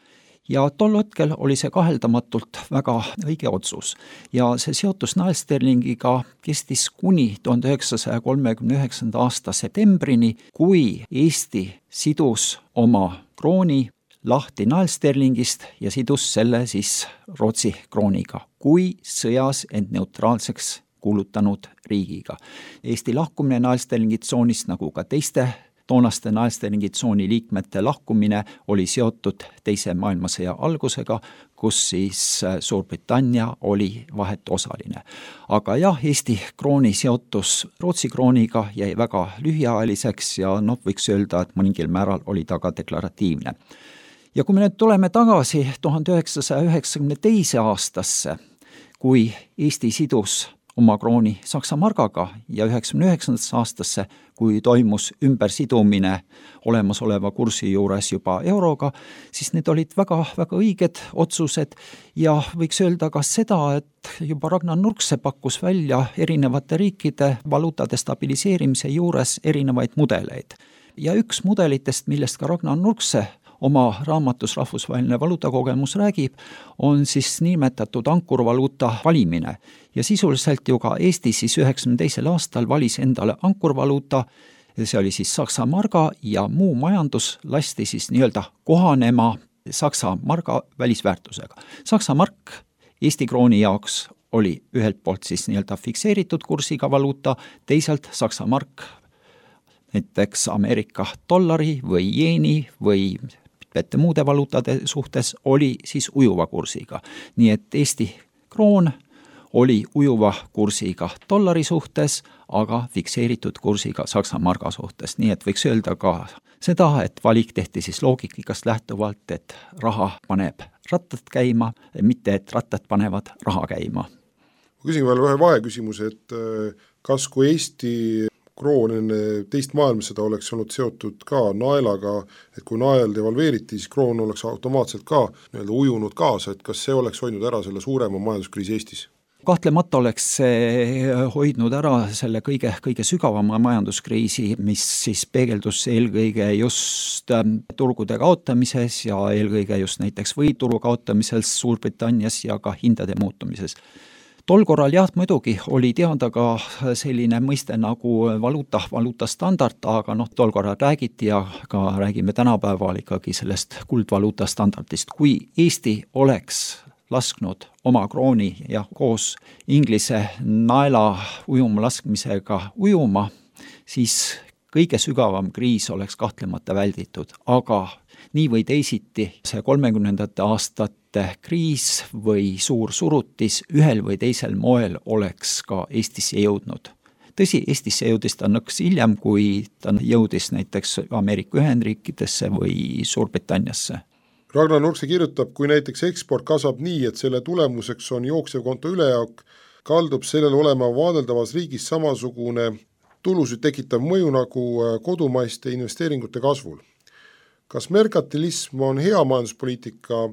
Ja tol hetkel oli see kaheldamatult väga õige otsus ja see seotus Naelsterlingiga kestis kuni 1939. aasta septembrini, kui Eesti sidus oma krooni lahti Naelsterlingist ja sidus selle siis Rootsi krooniga, kui sõjas end neutraalseks kuulutanud riigiga. Eesti lahkumine Naelsterlingi tsoonist, nagu ka teiste toonaste Naelsterlingi tsooni liikmete lahkumine, oli seotud Teise maailmasõja algusega, kus siis Suurbritannia oli vahetuosaline. Aga jah, Eesti krooni seotus Rootsi krooniga jäi väga lühiajaliseks ja võiks öelda, et mõningil määral oli ta ka deklaratiivne. Ja kui me nüüd tuleme tagasi 1992. aastasse, kui Eesti sidus oma krooni Saksa margaga ja 1999. aastasse, kui toimus ümbersidumine olemasoleva kursi juures juba euroga, siis need olid väga õiged otsused ja võiks öelda ka seda, et juba Ragnar Nurkse pakkus välja erinevate riikide valuutade stabiliseerimise juures erinevaid mudeleid. Ja üks mudelitest, millest ka Ragnar Nurkse oma raamatus Rahvusvaheline valuutakogemus räägib, on siis nimetatud ankurvaluuta valimine. Ja sisuliselt ju ka Eesti siis 92. aastal valis endale ankurvaluuta, see oli siis Saksa marga ja muu majandus lasti siis nii-öelda kohanema Saksa marga välisväärtusega. Saksa mark Eesti krooni jaoks oli ühelt poolt siis nii-öelda fikseeritud kursiga valuuta, teisalt Saksa mark näiteks Ameerika dollari või jeeni või mitmete muude valuutade suhtes oli siis ujuva kursiga. Nii et Eesti kroon oli ujuva kursiga dollari suhtes, aga fikseeritud kursiga Saksa marga suhtes. Nii et võiks öelda ka seda, et valik tehti siis loogikast lähtuvalt, et raha paneb rattad käima, mitte et rattad panevad raha käima. Ma küsin veel ühe vaheküsimuse, et kas kui Eesti kroon enne teist maailmasõda oleks olnud seotud ka naelaga, et kui nael devalveeriti, siis kroon oleks automaatselt ka ujunud kaasa, et kas see oleks hoidnud ära selle suurema majanduskriisi Eestis? Kahtlemata oleks see hoidnud ära selle kõige sügavama majanduskriisi, mis siis peegeldus eelkõige just turgude kaotamises ja eelkõige just näiteks võituru kaotamises Suurbritannias ja ka hindade muutumises. Tol korral jah, muidugi oli teada ka selline mõiste nagu valuuta standard, aga tol korral räägiti ja ka räägime tänapäeval ikkagi sellest kuldvaluuta standardist. Kui Eesti oleks lasknud oma krooni ja koos Inglise naela ujuma laskmisega ujuma, siis kõige sügavam kriis oleks kahtlemata välditud, aga nii või teisiti see 30ndate aastate kriis või suur surutis ühel või teisel moel oleks ka Eestisse jõudnud. Tõsi, Eestisse jõudis ta nõks hiljem, kui ta jõudis näiteks Ameerika Ühendriikidesse või Suurbritanniasse. Ragnar Nurkse kirjutab, kui näiteks eksport kasvab nii, et selle tulemuseks on jooksevkonto ülejääk, kaldub sellele olema vaadeldavas riigis samasugune tulusid tekitav mõju nagu kodumaiste investeeringute kasvul. Kas merkantilism on hea majanduspoliitika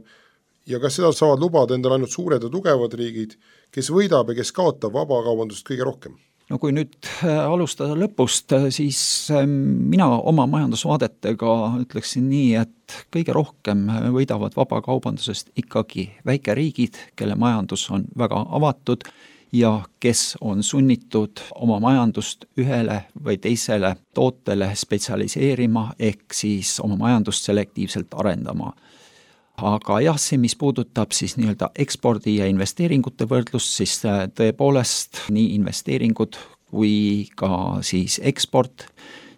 ja kas seda saavad lubada endale ainult suured ja tugevad riigid, kes võidab ja kes kaotab vabakaubandust kõige rohkem? No kui nüüd alustada lõpust, siis mina oma majandusvaadetega ütleksin nii, et kõige rohkem võidavad vabakaubandusest ikkagi väikeriigid, kelle majandus on väga avatud ja kes on sunnitud oma majandust ühele või teisele tootele spetsialiseerima ehk siis oma majandust selektiivselt arendama. Aga jah, see, mis puudutab siis nii-öelda ekspordi ja investeeringute võrdlust, siis tõepoolest nii investeeringud kui ka siis eksport,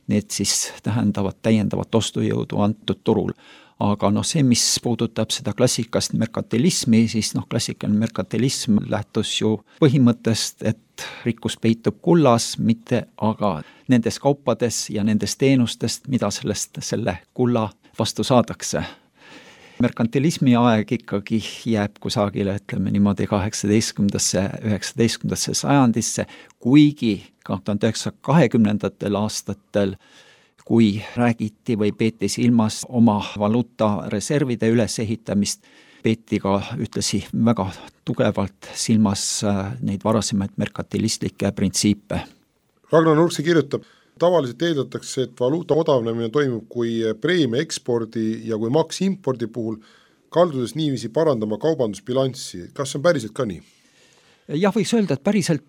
need siis tähendavad täiendavat ostujõudu antud turul. Aga see, mis puudutab seda klassikast merkantilismi, siis klassikaline merkantilism lähtus ju põhimõttest, et rikkus peitub kullas, mitte aga nendes kaupades ja nendes teenustest, mida selle kulla vastu saadakse. merkantilismi aeg ikkagi jääb kusagile, ütleme niimoodi 18. 19. sajandisse, kuigi 1920. aastatel, kui räägiti või peeti silmas oma valuutareservide ülesehitamist, peeti ka ühtlasi väga tugevalt silmas neid varasemaid merkantilistlikke printsiipe. Ragnar Nurkse kirjutab, tavaliselt eeldatakse, et valuuta odavnemine toimub kui preemia ekspordi ja kui maks impordi puhul, kaldudes niiviisi parandama kaubandusbilanssi. Kas see on päriselt ka nii? Jah, võiks öelda, et päriselt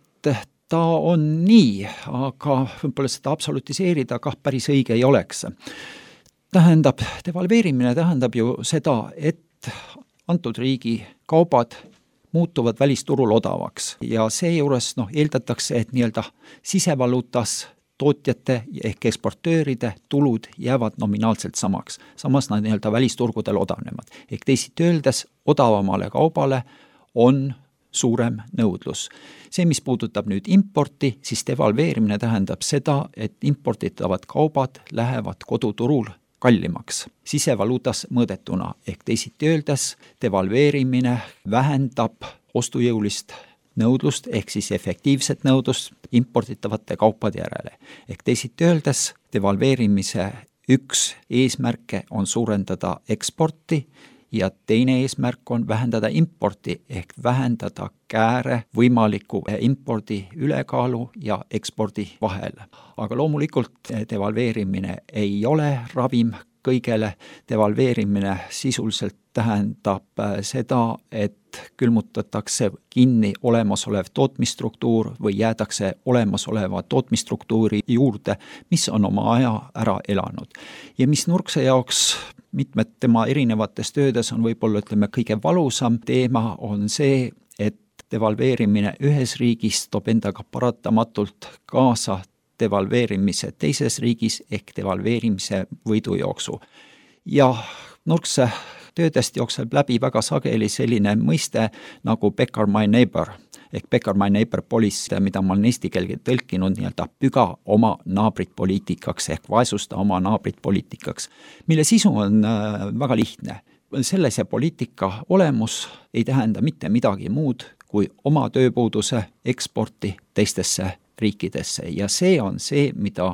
ta on nii, aga võib-olla seda absolutiseerida kah päris õige ei oleks. Tähendab, devalveerimine tähendab ju seda, et antud riigi kaubad muutuvad välisturul odavaks ja seejuures eeldatakse, et nii-öelda sisevaluutas tootjate ehk eksportööride tulud jäävad nominaalselt samaks. Samas nad nii-öelda välisturgudel odavnevad. Ehk teisiti öeldes, odavamale kaubale on suurem nõudlus. See, mis puudutab nüüd importi, siis devalveerimine tähendab seda, et imporditavad kaubad lähevad koduturul kallimaks, sisevaluutas mõõdetuna, ehk teisiti öeldes devalveerimine vähendab ostujõulist nõudlust, ehk siis efektiivset nõudlust imporditavate kaupade järele. Ehk teisiti öeldes devalveerimise üks eesmärke on suurendada eksporti ja teine eesmärk on vähendada importi ehk vähendada kääre võimaliku impordi ülekaalu ja ekspordi vahel. Aga loomulikult devalveerimine ei ole ravim kõigele. Devalveerimine sisuliselt tähendab seda, et külmutatakse kinni olemasolev tootmisstruktuur või jäädakse olemasoleva tootmisstruktuuri juurde, mis on oma aja ära elanud. Ja mis Nurkse jaoks mitmed tema erinevates töödes on võib-olla kõige valusam teema on see, et devalveerimine ühes riigis toob endaga paratamatult kaasa devalveerimise teises riigis ehk devalveerimise võidujooksu. Ja Nurkse töödest jookseb läbi väga sageli selline mõiste nagu Becker my neighbor ehk Becker my neighbor policy, mida ma olen eesti keelde tõlkinud nii-öelda püga oma naabrit poliitikaks ehk vaesusta oma naabrit poliitikaks, mille sisu on väga lihtne. Sellise poliitika olemus ei tähenda mitte midagi muud kui oma tööpuuduse eksporti teistesse riikidesse ja see on see, mida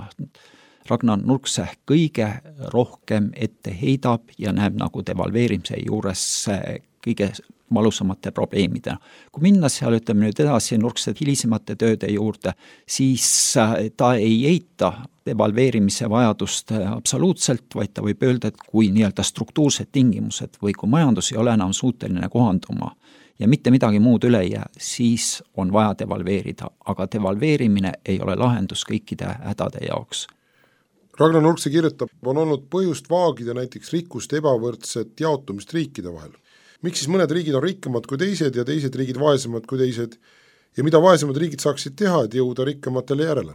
Ragnar Nurkse kõige rohkem ette heidab ja näeb nagu devalveerimise juures kõige valusamate probleemidena. Kui minna seal nüüd edasi Nurkse hilisemate tööde juurde, siis ta ei eita devalveerimise vajadust absoluutselt, vaid ta võib öelda, et kui nii-öelda struktuursed tingimused või kui majandus ei ole enam suuteline kohanduma ja mitte midagi muud üle ei jää, siis on vaja devalveerida, aga devalveerimine ei ole lahendus kõikide hädade jaoks. Ragnar Nurkse kirjutab, on olnud põhjust vaagida näiteks rikkuste ebavõrdset jaotumist riikide vahel. Miks siis mõned riigid on rikkamad kui teised ja teised riigid vaesemad kui teised ja mida vaesemad riigid saaksid teha, et jõuda rikkamatele järele?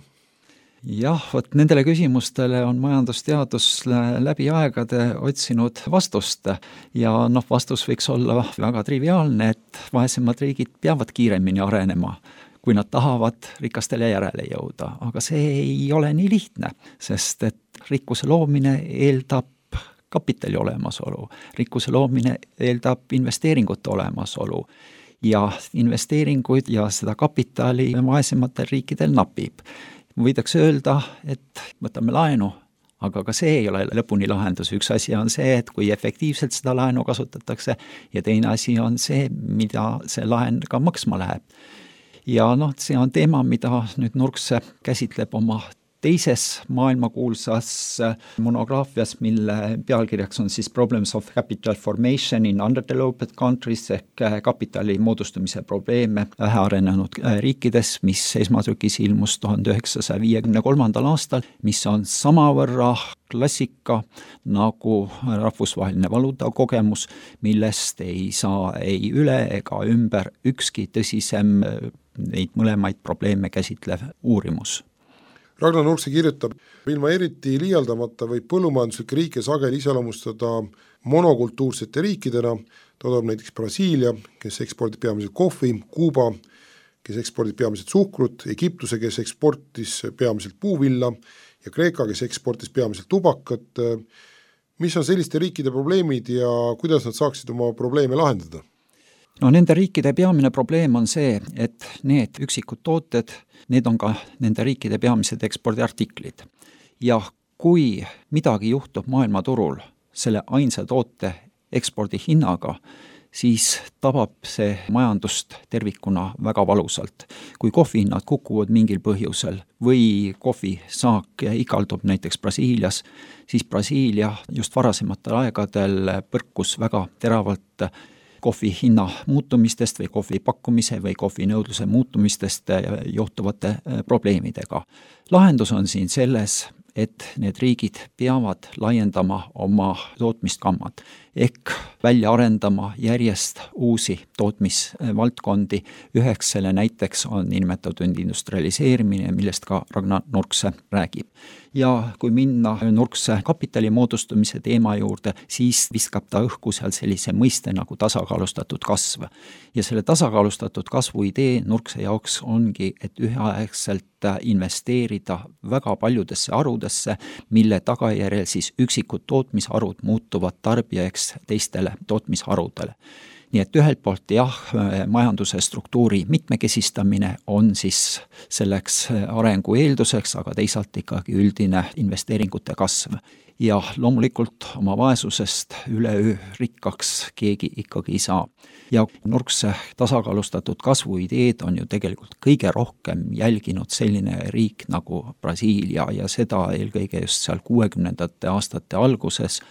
Jah, vot nendele küsimustele on majandusteadus läbi aegade otsinud vastust ja vastus võiks olla väga triviaalne, et vaesemad riigid peavad kiiremini arenema, kui nad tahavad rikastele järele jõuda, aga see ei ole nii lihtne, sest et rikkuse loomine eeldab kapitali olemasolu, rikkuse loomine eeldab investeeringute olemasolu ja investeeringuid ja seda kapitali vaesematel riikidel napib. Võidakse öelda, et võtame laenu, aga ka see ei ole lõpuni lahendus. Üks asi on see, et kui efektiivselt seda laenu kasutatakse ja teine asi on see, mida see laen ka maksma läheb. Ja see on teema, mida nüüd Nurkse käsitleb oma teises maailmakuulsas monograafias, mille pealkirjaks on siis Problems of Capital Formation in Underdeveloped Countries ehk kapitali moodustumise probleeme vähearenenud riikides, mis esmatrükis ilmus 1953. aastal, mis on samavõrra klassika nagu rahvusvaheline valuutakogemus, millest ei saa ei üle ega ümber ükski tõsisem neid mõlemaid probleeme käsitlev uurimus. Ragnar Nurkse kirjutab, ilma eriti liialdamata võib põllumajanduslikke riike sageli iseloomustada monokultuursete riikidena, toodab näiteks Brasiilia, kes ekspordib peamiselt kohvi, Kuuba, kes ekspordib peamiselt suhkrut, Egiptuse, kes eksportis peamiselt puuvilla ja Kreeka, kes eksportis peamiselt tubakat. Mis on selliste riikide probleemid ja kuidas nad saaksid oma probleeme lahendada? No nende riikide peamine probleem on see, et need üksikud tooted, need on ka nende riikide peamised ekspordiartiklid. Ja kui midagi juhtub maailmaturul selle ainsa toote ekspordi hinnaga, siis tabab see majandust tervikuna väga valusalt. Kui kohvihinnad kukuvad mingil põhjusel või kohvisaak ikaldub näiteks Brasiilias, siis Brasiilia just varasematel aegadel põrkus väga teravalt kohvi hinna muutumistest või kohvi pakkumise või kohvi nõudluse muutumistest johtuvate probleemidega. Lahendus on siin selles, et need riigid peavad laiendama oma tootmiskammad ehk välja arendama järjest uusi tootmisvaldkondi. Üheks selle näiteks on nimetatud industrialiseerimine, millest ka Ragnar Nurkse räägib. Ja kui minna Nurkse kapitali moodustumise teema juurde, siis viskab ta õhku seal sellise mõiste nagu tasakaalustatud kasv. Ja selle tasakaalustatud kasvu idee Nurkse jaoks ongi, et üheaegselt investeerida väga paljudesse harudesse, mille tagajärjel siis üksikud tootmisharud muutuvad tarbijaks teistele tootmisharudele. Nii et ühelt poolt majanduse struktuuri mitmekesistamine on siis selleks arengu eelduseks, aga teisalt ikkagi üldine investeeringute kasv. Ja loomulikult oma vaesusest üleöö rikkaks keegi ikkagi ei saa. Ja Nurkse tasakaalustatud kasvu ideed on ju tegelikult kõige rohkem jälginud selline riik nagu Brasiilia ja seda eelkõige just seal 60. aastate alguses.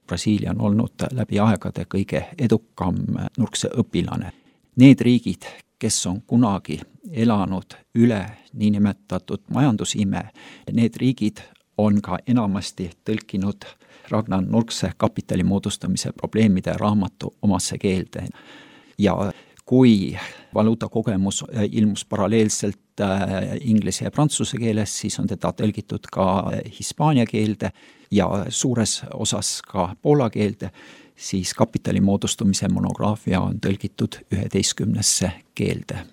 Brasiilia on olnud läbi aegade kõige edukam Nurkse õpilane. Need riigid, kes on kunagi elanud üle niinimetatud majandusime, need riigid on ka enamasti tõlkinud Ragnar Nurkse kapitali moodustamise probleemide raamatu omasse keelde. Ja kui valuutakogemus ilmus paralleelselt inglise ja prantsuse keeles, siis on teda tõlgitud ka hispaania keelde ja suures osas ka poola keelde, siis kapitali moodustumise monograafia on tõlgitud 11 keelde.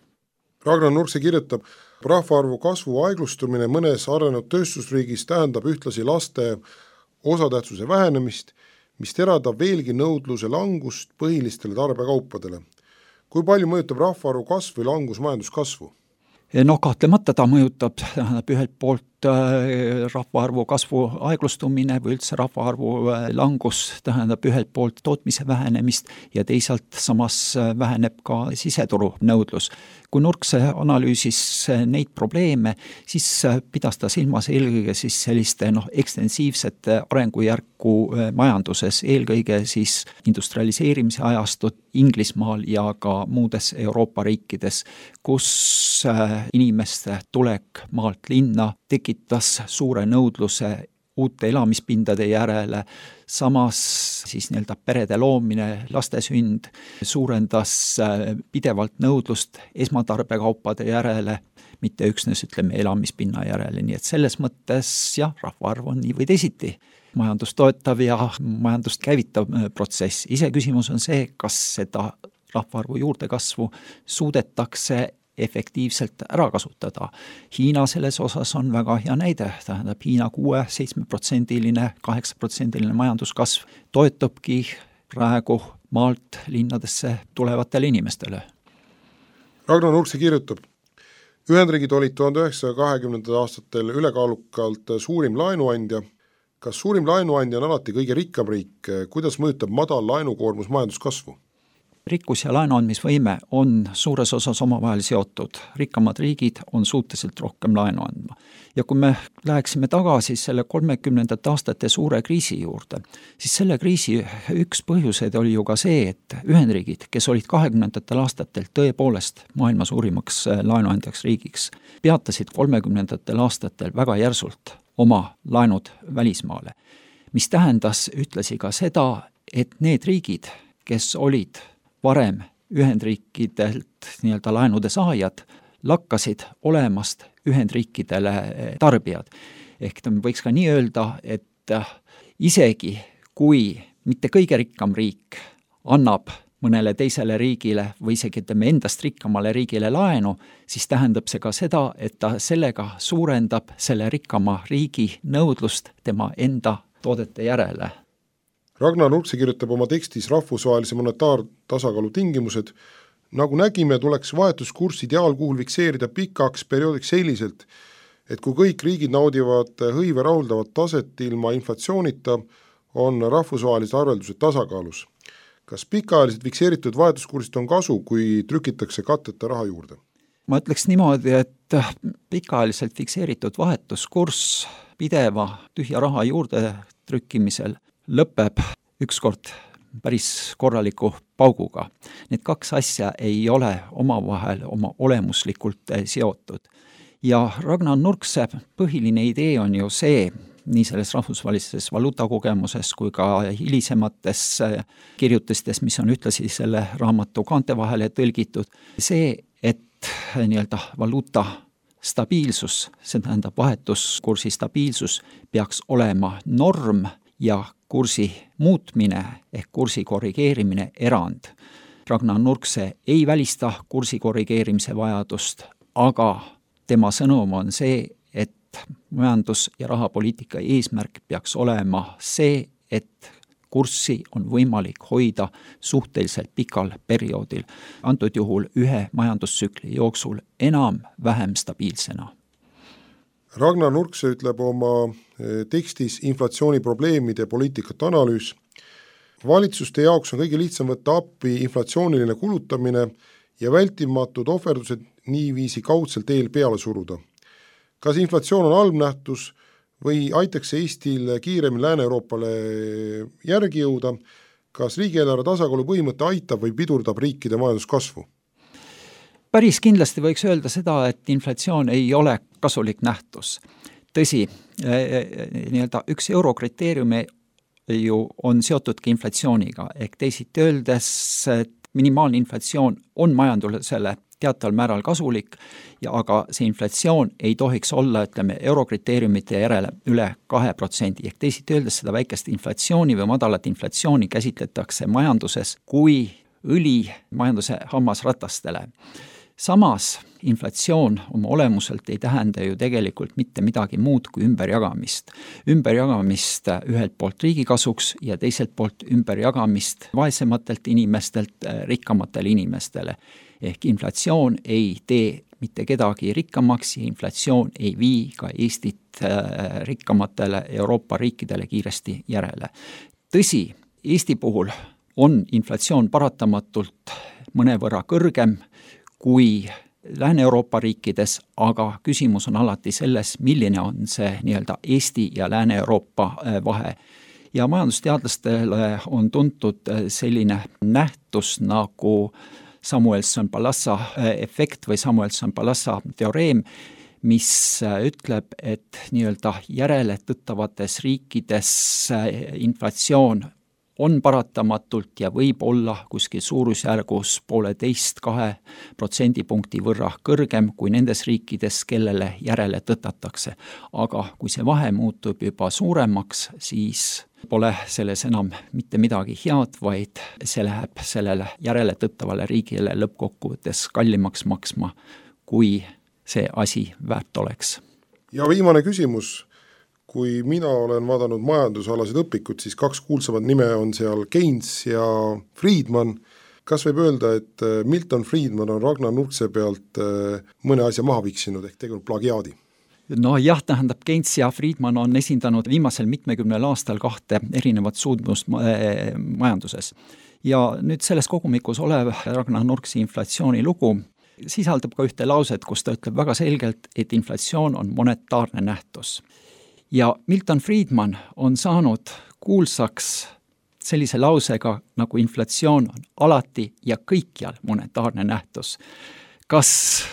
Ragnar Nurkse kirjutab, rahvaarvu kasvu aeglustumine mõnes arenenud tööstusriigis tähendab ühtlasi laste osatähtsuse vähenemist, mis teradab veelgi nõudluse langust põhilistele tarbekaupadele. Kui palju mõjutab rahvaarvu kasv või langus majanduskasvu? No kahtlemata ta mõjutab ühelt poolt rahvaarvu kasvu aeglustumine või üldse rahvaarvu langus tähendab ühelt poolt tootmise vähenemist ja teisalt samas väheneb ka siseturu nõudlus. Kui Nurkse analüüsis neid probleeme, siis pidas ta silmas eelkõige siis selliste ekstensiivsete arengujärku majanduses, eelkõige siis industrialiseerimise ajastut Inglismaal ja ka muudes Euroopa riikides, kus inimeste tulek maalt linna tekitas suure nõudluse uute elamispindade järele, samas siis perede loomine, laste sünd suurendas pidevalt nõudlust esmatarbekaupade järele, mitte üksnes elamispinna järele, nii et selles mõttes rahvaarv on nii või teisiti majandust toetav ja majandust käivitav protsess. Iseküsimus on see, kas seda rahvaarvu juurdekasvu suudetakse efektiivselt ära kasutada. Hiina selles osas on väga hea näide, tähendab Hiina 6-7%, 8% majanduskasv toetubki praegu maalt linnadesse tulevatele inimestele. Ragnar Nurkse kirjutab, Ühendriigid olid 1920. aastatel ülekaalukalt suurim laenuandja. Kas suurim laenuandja on alati kõige rikkam riik? Kuidas mõjutab madal laenukoormus majanduskasvu? Rikkus ja laenuandmisvõime on suures osas omavahel seotud. Rikkamad riigid on suhteliselt rohkem laenu andma. Ja kui me läheksime tagasi selle 30. aastate suure kriisi juurde, siis selle kriisi üks põhjuseid oli ju ka see, et Ühendriigid, kes olid 20. aastatel tõepoolest maailma suurimaks laenuandjaks riigiks, peatasid 30. aastatel väga järsult oma laenud välismaale, mis tähendas ühtlasi ka seda, et need riigid, kes olid varem Ühendriikidelt laenude saajad, lakkasid olemast Ühendriikidele tarbijad. Ehk võiks ka nii öelda, et isegi kui mitte kõige rikkam riik annab mõnele teisele riigile või isegi endast rikkamale riigile laenu, siis tähendab see ka seda, et ta sellega suurendab selle rikkama riigi nõudlust tema enda toodete järele. Ragnar Nurkse kirjutab oma tekstis rahvusvahelise monetaartasakaalu tingimused. Nagu nägime, tuleks vahetuskurs ideaalkuhul fikseerida pikaks perioodiks selliselt, et kui kõik riigid naudivad hõive rahuldavat taset ilma inflatsioonita, on rahvusvahelised arveldused tasakaalus. Kas pikaajaliselt fikseeritud vahetuskursist on kasu, kui trükitakse katteta raha juurde? Ma ütleks niimoodi, et pikaajaliselt fikseeritud vahetuskurss pideva tühja raha juurde trükkimisel lõpeb ükskord päris korraliku pauguga. Need kaks asja ei ole omavahel oma olemuslikult seotud. Ja Ragnar Nurkse põhiline idee on ju see, nii selles rahvusvahelises valuutakogemuses kui ka hilisemates kirjutistes, mis on ühtlasi selle raamatu kaante vahele tõlgitud, see, et nii-öelda valuuta stabiilsus, see tähendab vahetuskursi stabiilsus, peaks olema norm ja kursi muutmine ehk kursi korrigeerimine erand. Ragnar Nurkse ei välista kursi korrigeerimise vajadust, aga tema sõnum on see, et majandus- ja rahapoliitika eesmärk peaks olema see, et kurssi on võimalik hoida suhteliselt pikal perioodil, antud juhul ühe majandustsükli jooksul enam-vähem stabiilsena. Ragnar Nurkse ütleb oma tekstis inflatsiooni probleemide poliitikat analüüs. Valitsuste jaoks on kõige lihtsam võtta appi inflatsiooniline kulutamine ja vältimatud ohverdused niiviisi kaudselt eel peale suruda. Kas inflatsioon on halb nähtus või aitaks Eestil kiiremini Lääne-Euroopale järgi jõuda? Kas riigieelarve tasakaalu põhimõte aitab või pidurdab riikide majanduskasvu? Päris kindlasti võiks öelda seda, et inflatsioon ei ole kasulik nähtus. Tõsi, nii-öelda üks eurokriteeriumi ju on seotudki inflatsiooniga, ehk teisiti öeldes, et minimaalne inflatsioon on majandusele teataval määral kasulik, aga see inflatsioon ei tohiks olla, eurokriteeriumite järele üle 2%, ehk teisiti öeldes seda väikest inflatsiooni või madalat inflatsiooni käsitletakse majanduses kui õli majanduse hammasratastele. Samas inflatsioon oma olemuselt ei tähenda ju tegelikult mitte midagi muud kui ümberjagamist. Ümberjagamist ühelt poolt riigi kasuks ja teiselt poolt ümberjagamist vaesematelt inimestelt rikkamatele inimestele. Ehk inflatsioon ei tee mitte kedagi rikkamaks ja inflatsioon ei vii ka Eestit rikkamatele Euroopa riikidele kiiresti järele. Tõsi, Eesti puhul on inflatsioon paratamatult mõnevõrra kõrgem kui Lääne-Euroopa riikides, aga küsimus on alati selles, milline on see nii-öelda Eesti ja Lääne-Euroopa vahe. Ja majandusteadlastele on tuntud selline nähtus nagu Samuelson-Palassa efekt või Samuelson-Palassa teoreem, mis ütleb, et nii-öelda järele tõttavates riikides inflatsioon on paratamatult ja võib olla kuskil suurusjärgus 1,5–2% võrra kõrgem kui nendes riikides, kellele järele tõtatakse. Aga kui see vahe muutub juba suuremaks, siis pole selles enam mitte midagi head, vaid see läheb sellele järele tõttavale riigile lõppkokkuvõttes kallimaks maksma, kui see asi väärt oleks. Ja viimane küsimus. Kui mina olen vaadanud majandusalasid õpikud, siis kaks kuulsamat nime on seal Keynes ja Friedman. Kas võib öelda, et Milton Friedman on Ragnar Nurkse pealt mõne asja maha viksinud ehk tegelikult plagiaadi? No jah, tähendab, Keynes ja Friedman on esindanud viimasel 70 aastal kahte erinevat suundmust majanduses. Ja nüüd selles kogumikus olev Ragnar Nurkse inflatsiooni lugu sisaldab ka ühte lauset, kus ta ütleb väga selgelt, et inflatsioon on monetaarne nähtus. Ja Milton Friedman on saanud kuulsaks sellise lausega, nagu inflatsioon on alati ja kõikjal monetaarne nähtus. Kas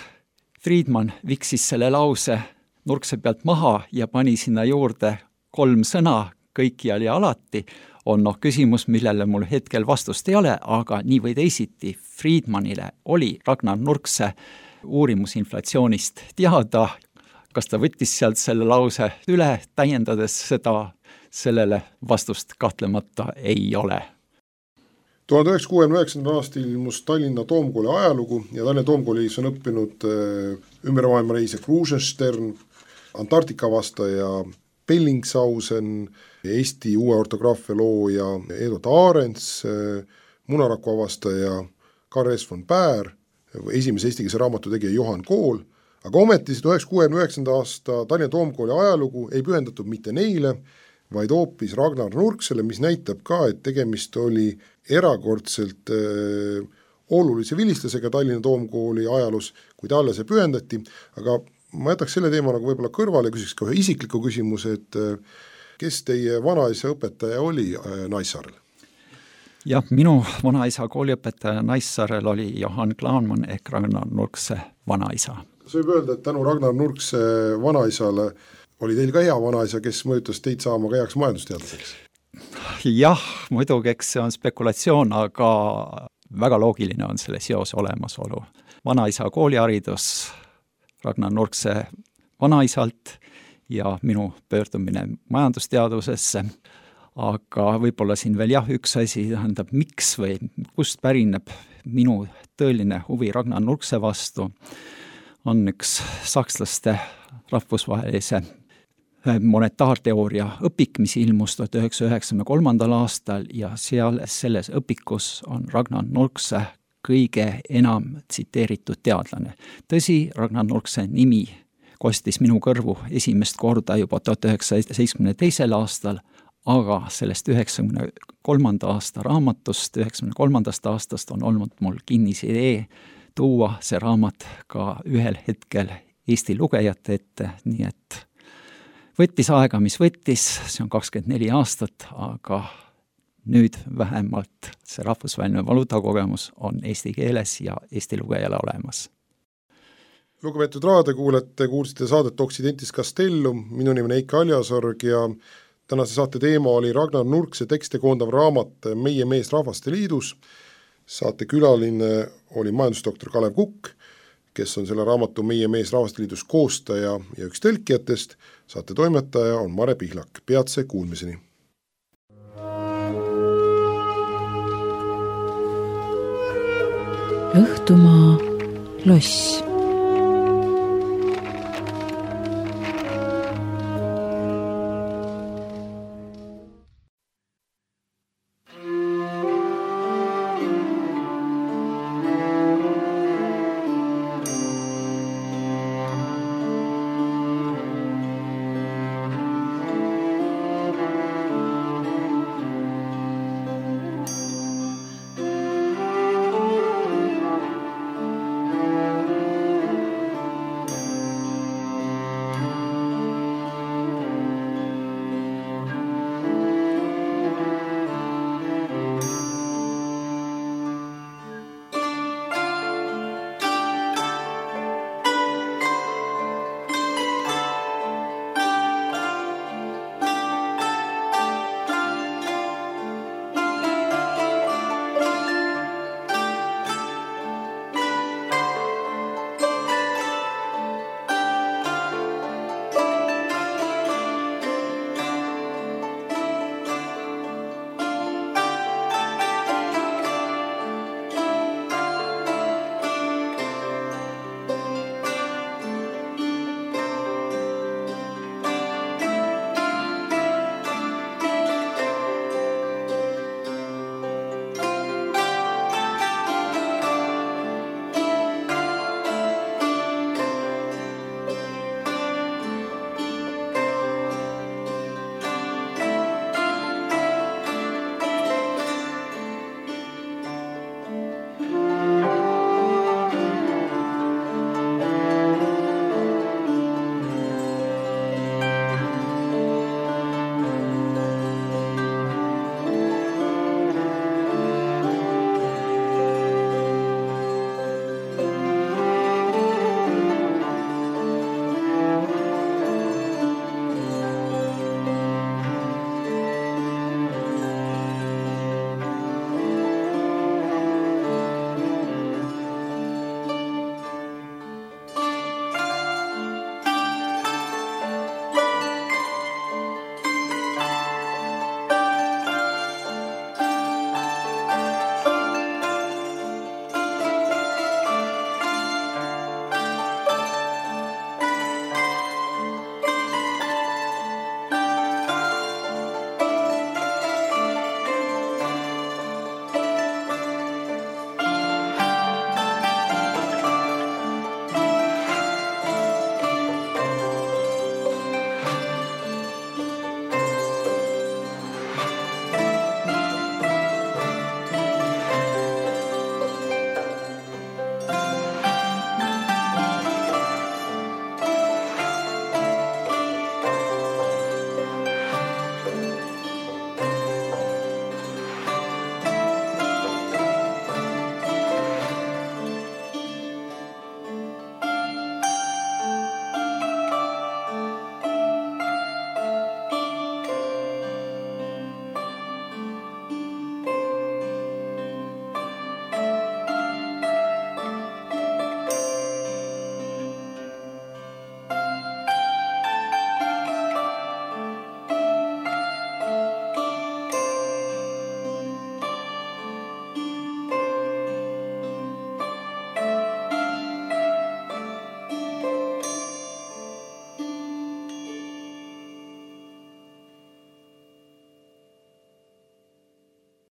Friedman viksis selle lause Nurkse pealt maha ja pani sinna juurde 3 sõna kõikjal ja alati, on küsimus, millele mul hetkel vastust ei ole, aga nii või teisiti Friedmanile oli Ragnar Nurkse uurimus inflatsioonist teada. Kas ta võttis sealt selle lause üle, täiendades seda, sellele vastust kahtlemata ei ole. 1969. aastal ilmus Tallinna Toomkooli ajalugu ja Tallinna Toomkoolis on õppinud ümber maailma reise Krusenstern, Antarktika vastaja Bellingshausen, Eesti uue ortograafia looja Edward Ahrens, munaraku avastaja Karl S. von Baer, esimese eestikeelse raamatu tegija Johan Kool, aga ometi 1969. aasta Tallinna Toomkooli ajalugu ei pühendatud mitte neile, vaid hoopis Ragnar Nurksele, mis näitab ka, et tegemist oli erakordselt olulise vilistlasega Tallinna Toomkooli ajaloos, kui talle see pühendati, aga ma jätaks selle teema nagu võib-olla kõrvale, küsiks ka ühe isikliku küsimuse, et kes teie vanaisa õpetaja oli Naissaarel? Jah, minu vanaisa kooliõpetaja Naissaarel oli Johan Klaanmann ehk Ragnar Nurkse vanaisa. Kas võib öelda, et tänu Ragnar Nurkse vanaisale oli teil ka hea vanaisa, kes mõjutas teid saama ka heaks majandusteadlaseks? Jah, muidugi, eks see on spekulatsioon, aga väga loogiline on selle seose olemasolu. Vanaisa kooliharidus Ragnar Nurkse vanaisalt ja minu pöördumine majandusteadusesse, aga võib-olla siin veel üks asi, tähendab miks või kust pärineb minu tõeline huvi Ragnar Nurkse vastu, on üks sakslaste rahvusvahelise monetaarteooria õpik, mis ilmus 1993. aastal ja selles õpikus on Ragnar Nurkse kõige enam tsiteeritud teadlane. Tõsi, Ragnar Nurkse nimi kostis minu kõrvu esimest korda juba 1972. aastal, aga sellest 93. aasta raamatust, 93. aastast on olnud mul kinnis idee tuua see raamat ka ühel hetkel Eesti lugejate ette, nii et võttis aega, mis võttis, see on 24 aastat, aga nüüd vähemalt see rahvusvaheline valuutakogemus on eesti keeles ja Eesti lugejale olemas. Lugupeetud raadiokuulajad, kuulsite saadet Occidentis Castellum, minu nimi on Heiki Aljasorg ja tänase saate teema oli Ragnar Nurkse tekste koondav raamat Meie mees Rahvaste Liidus. Saate külaline oli majandusdoktor Kalev Kukk, kes on selle raamatu Meie mees Rahvaste Liidus koostaja ja üks tõlkijatest. Saate toimetaja on Mare Pihlak. Peatse kuulmiseni. Õhtumaa loss.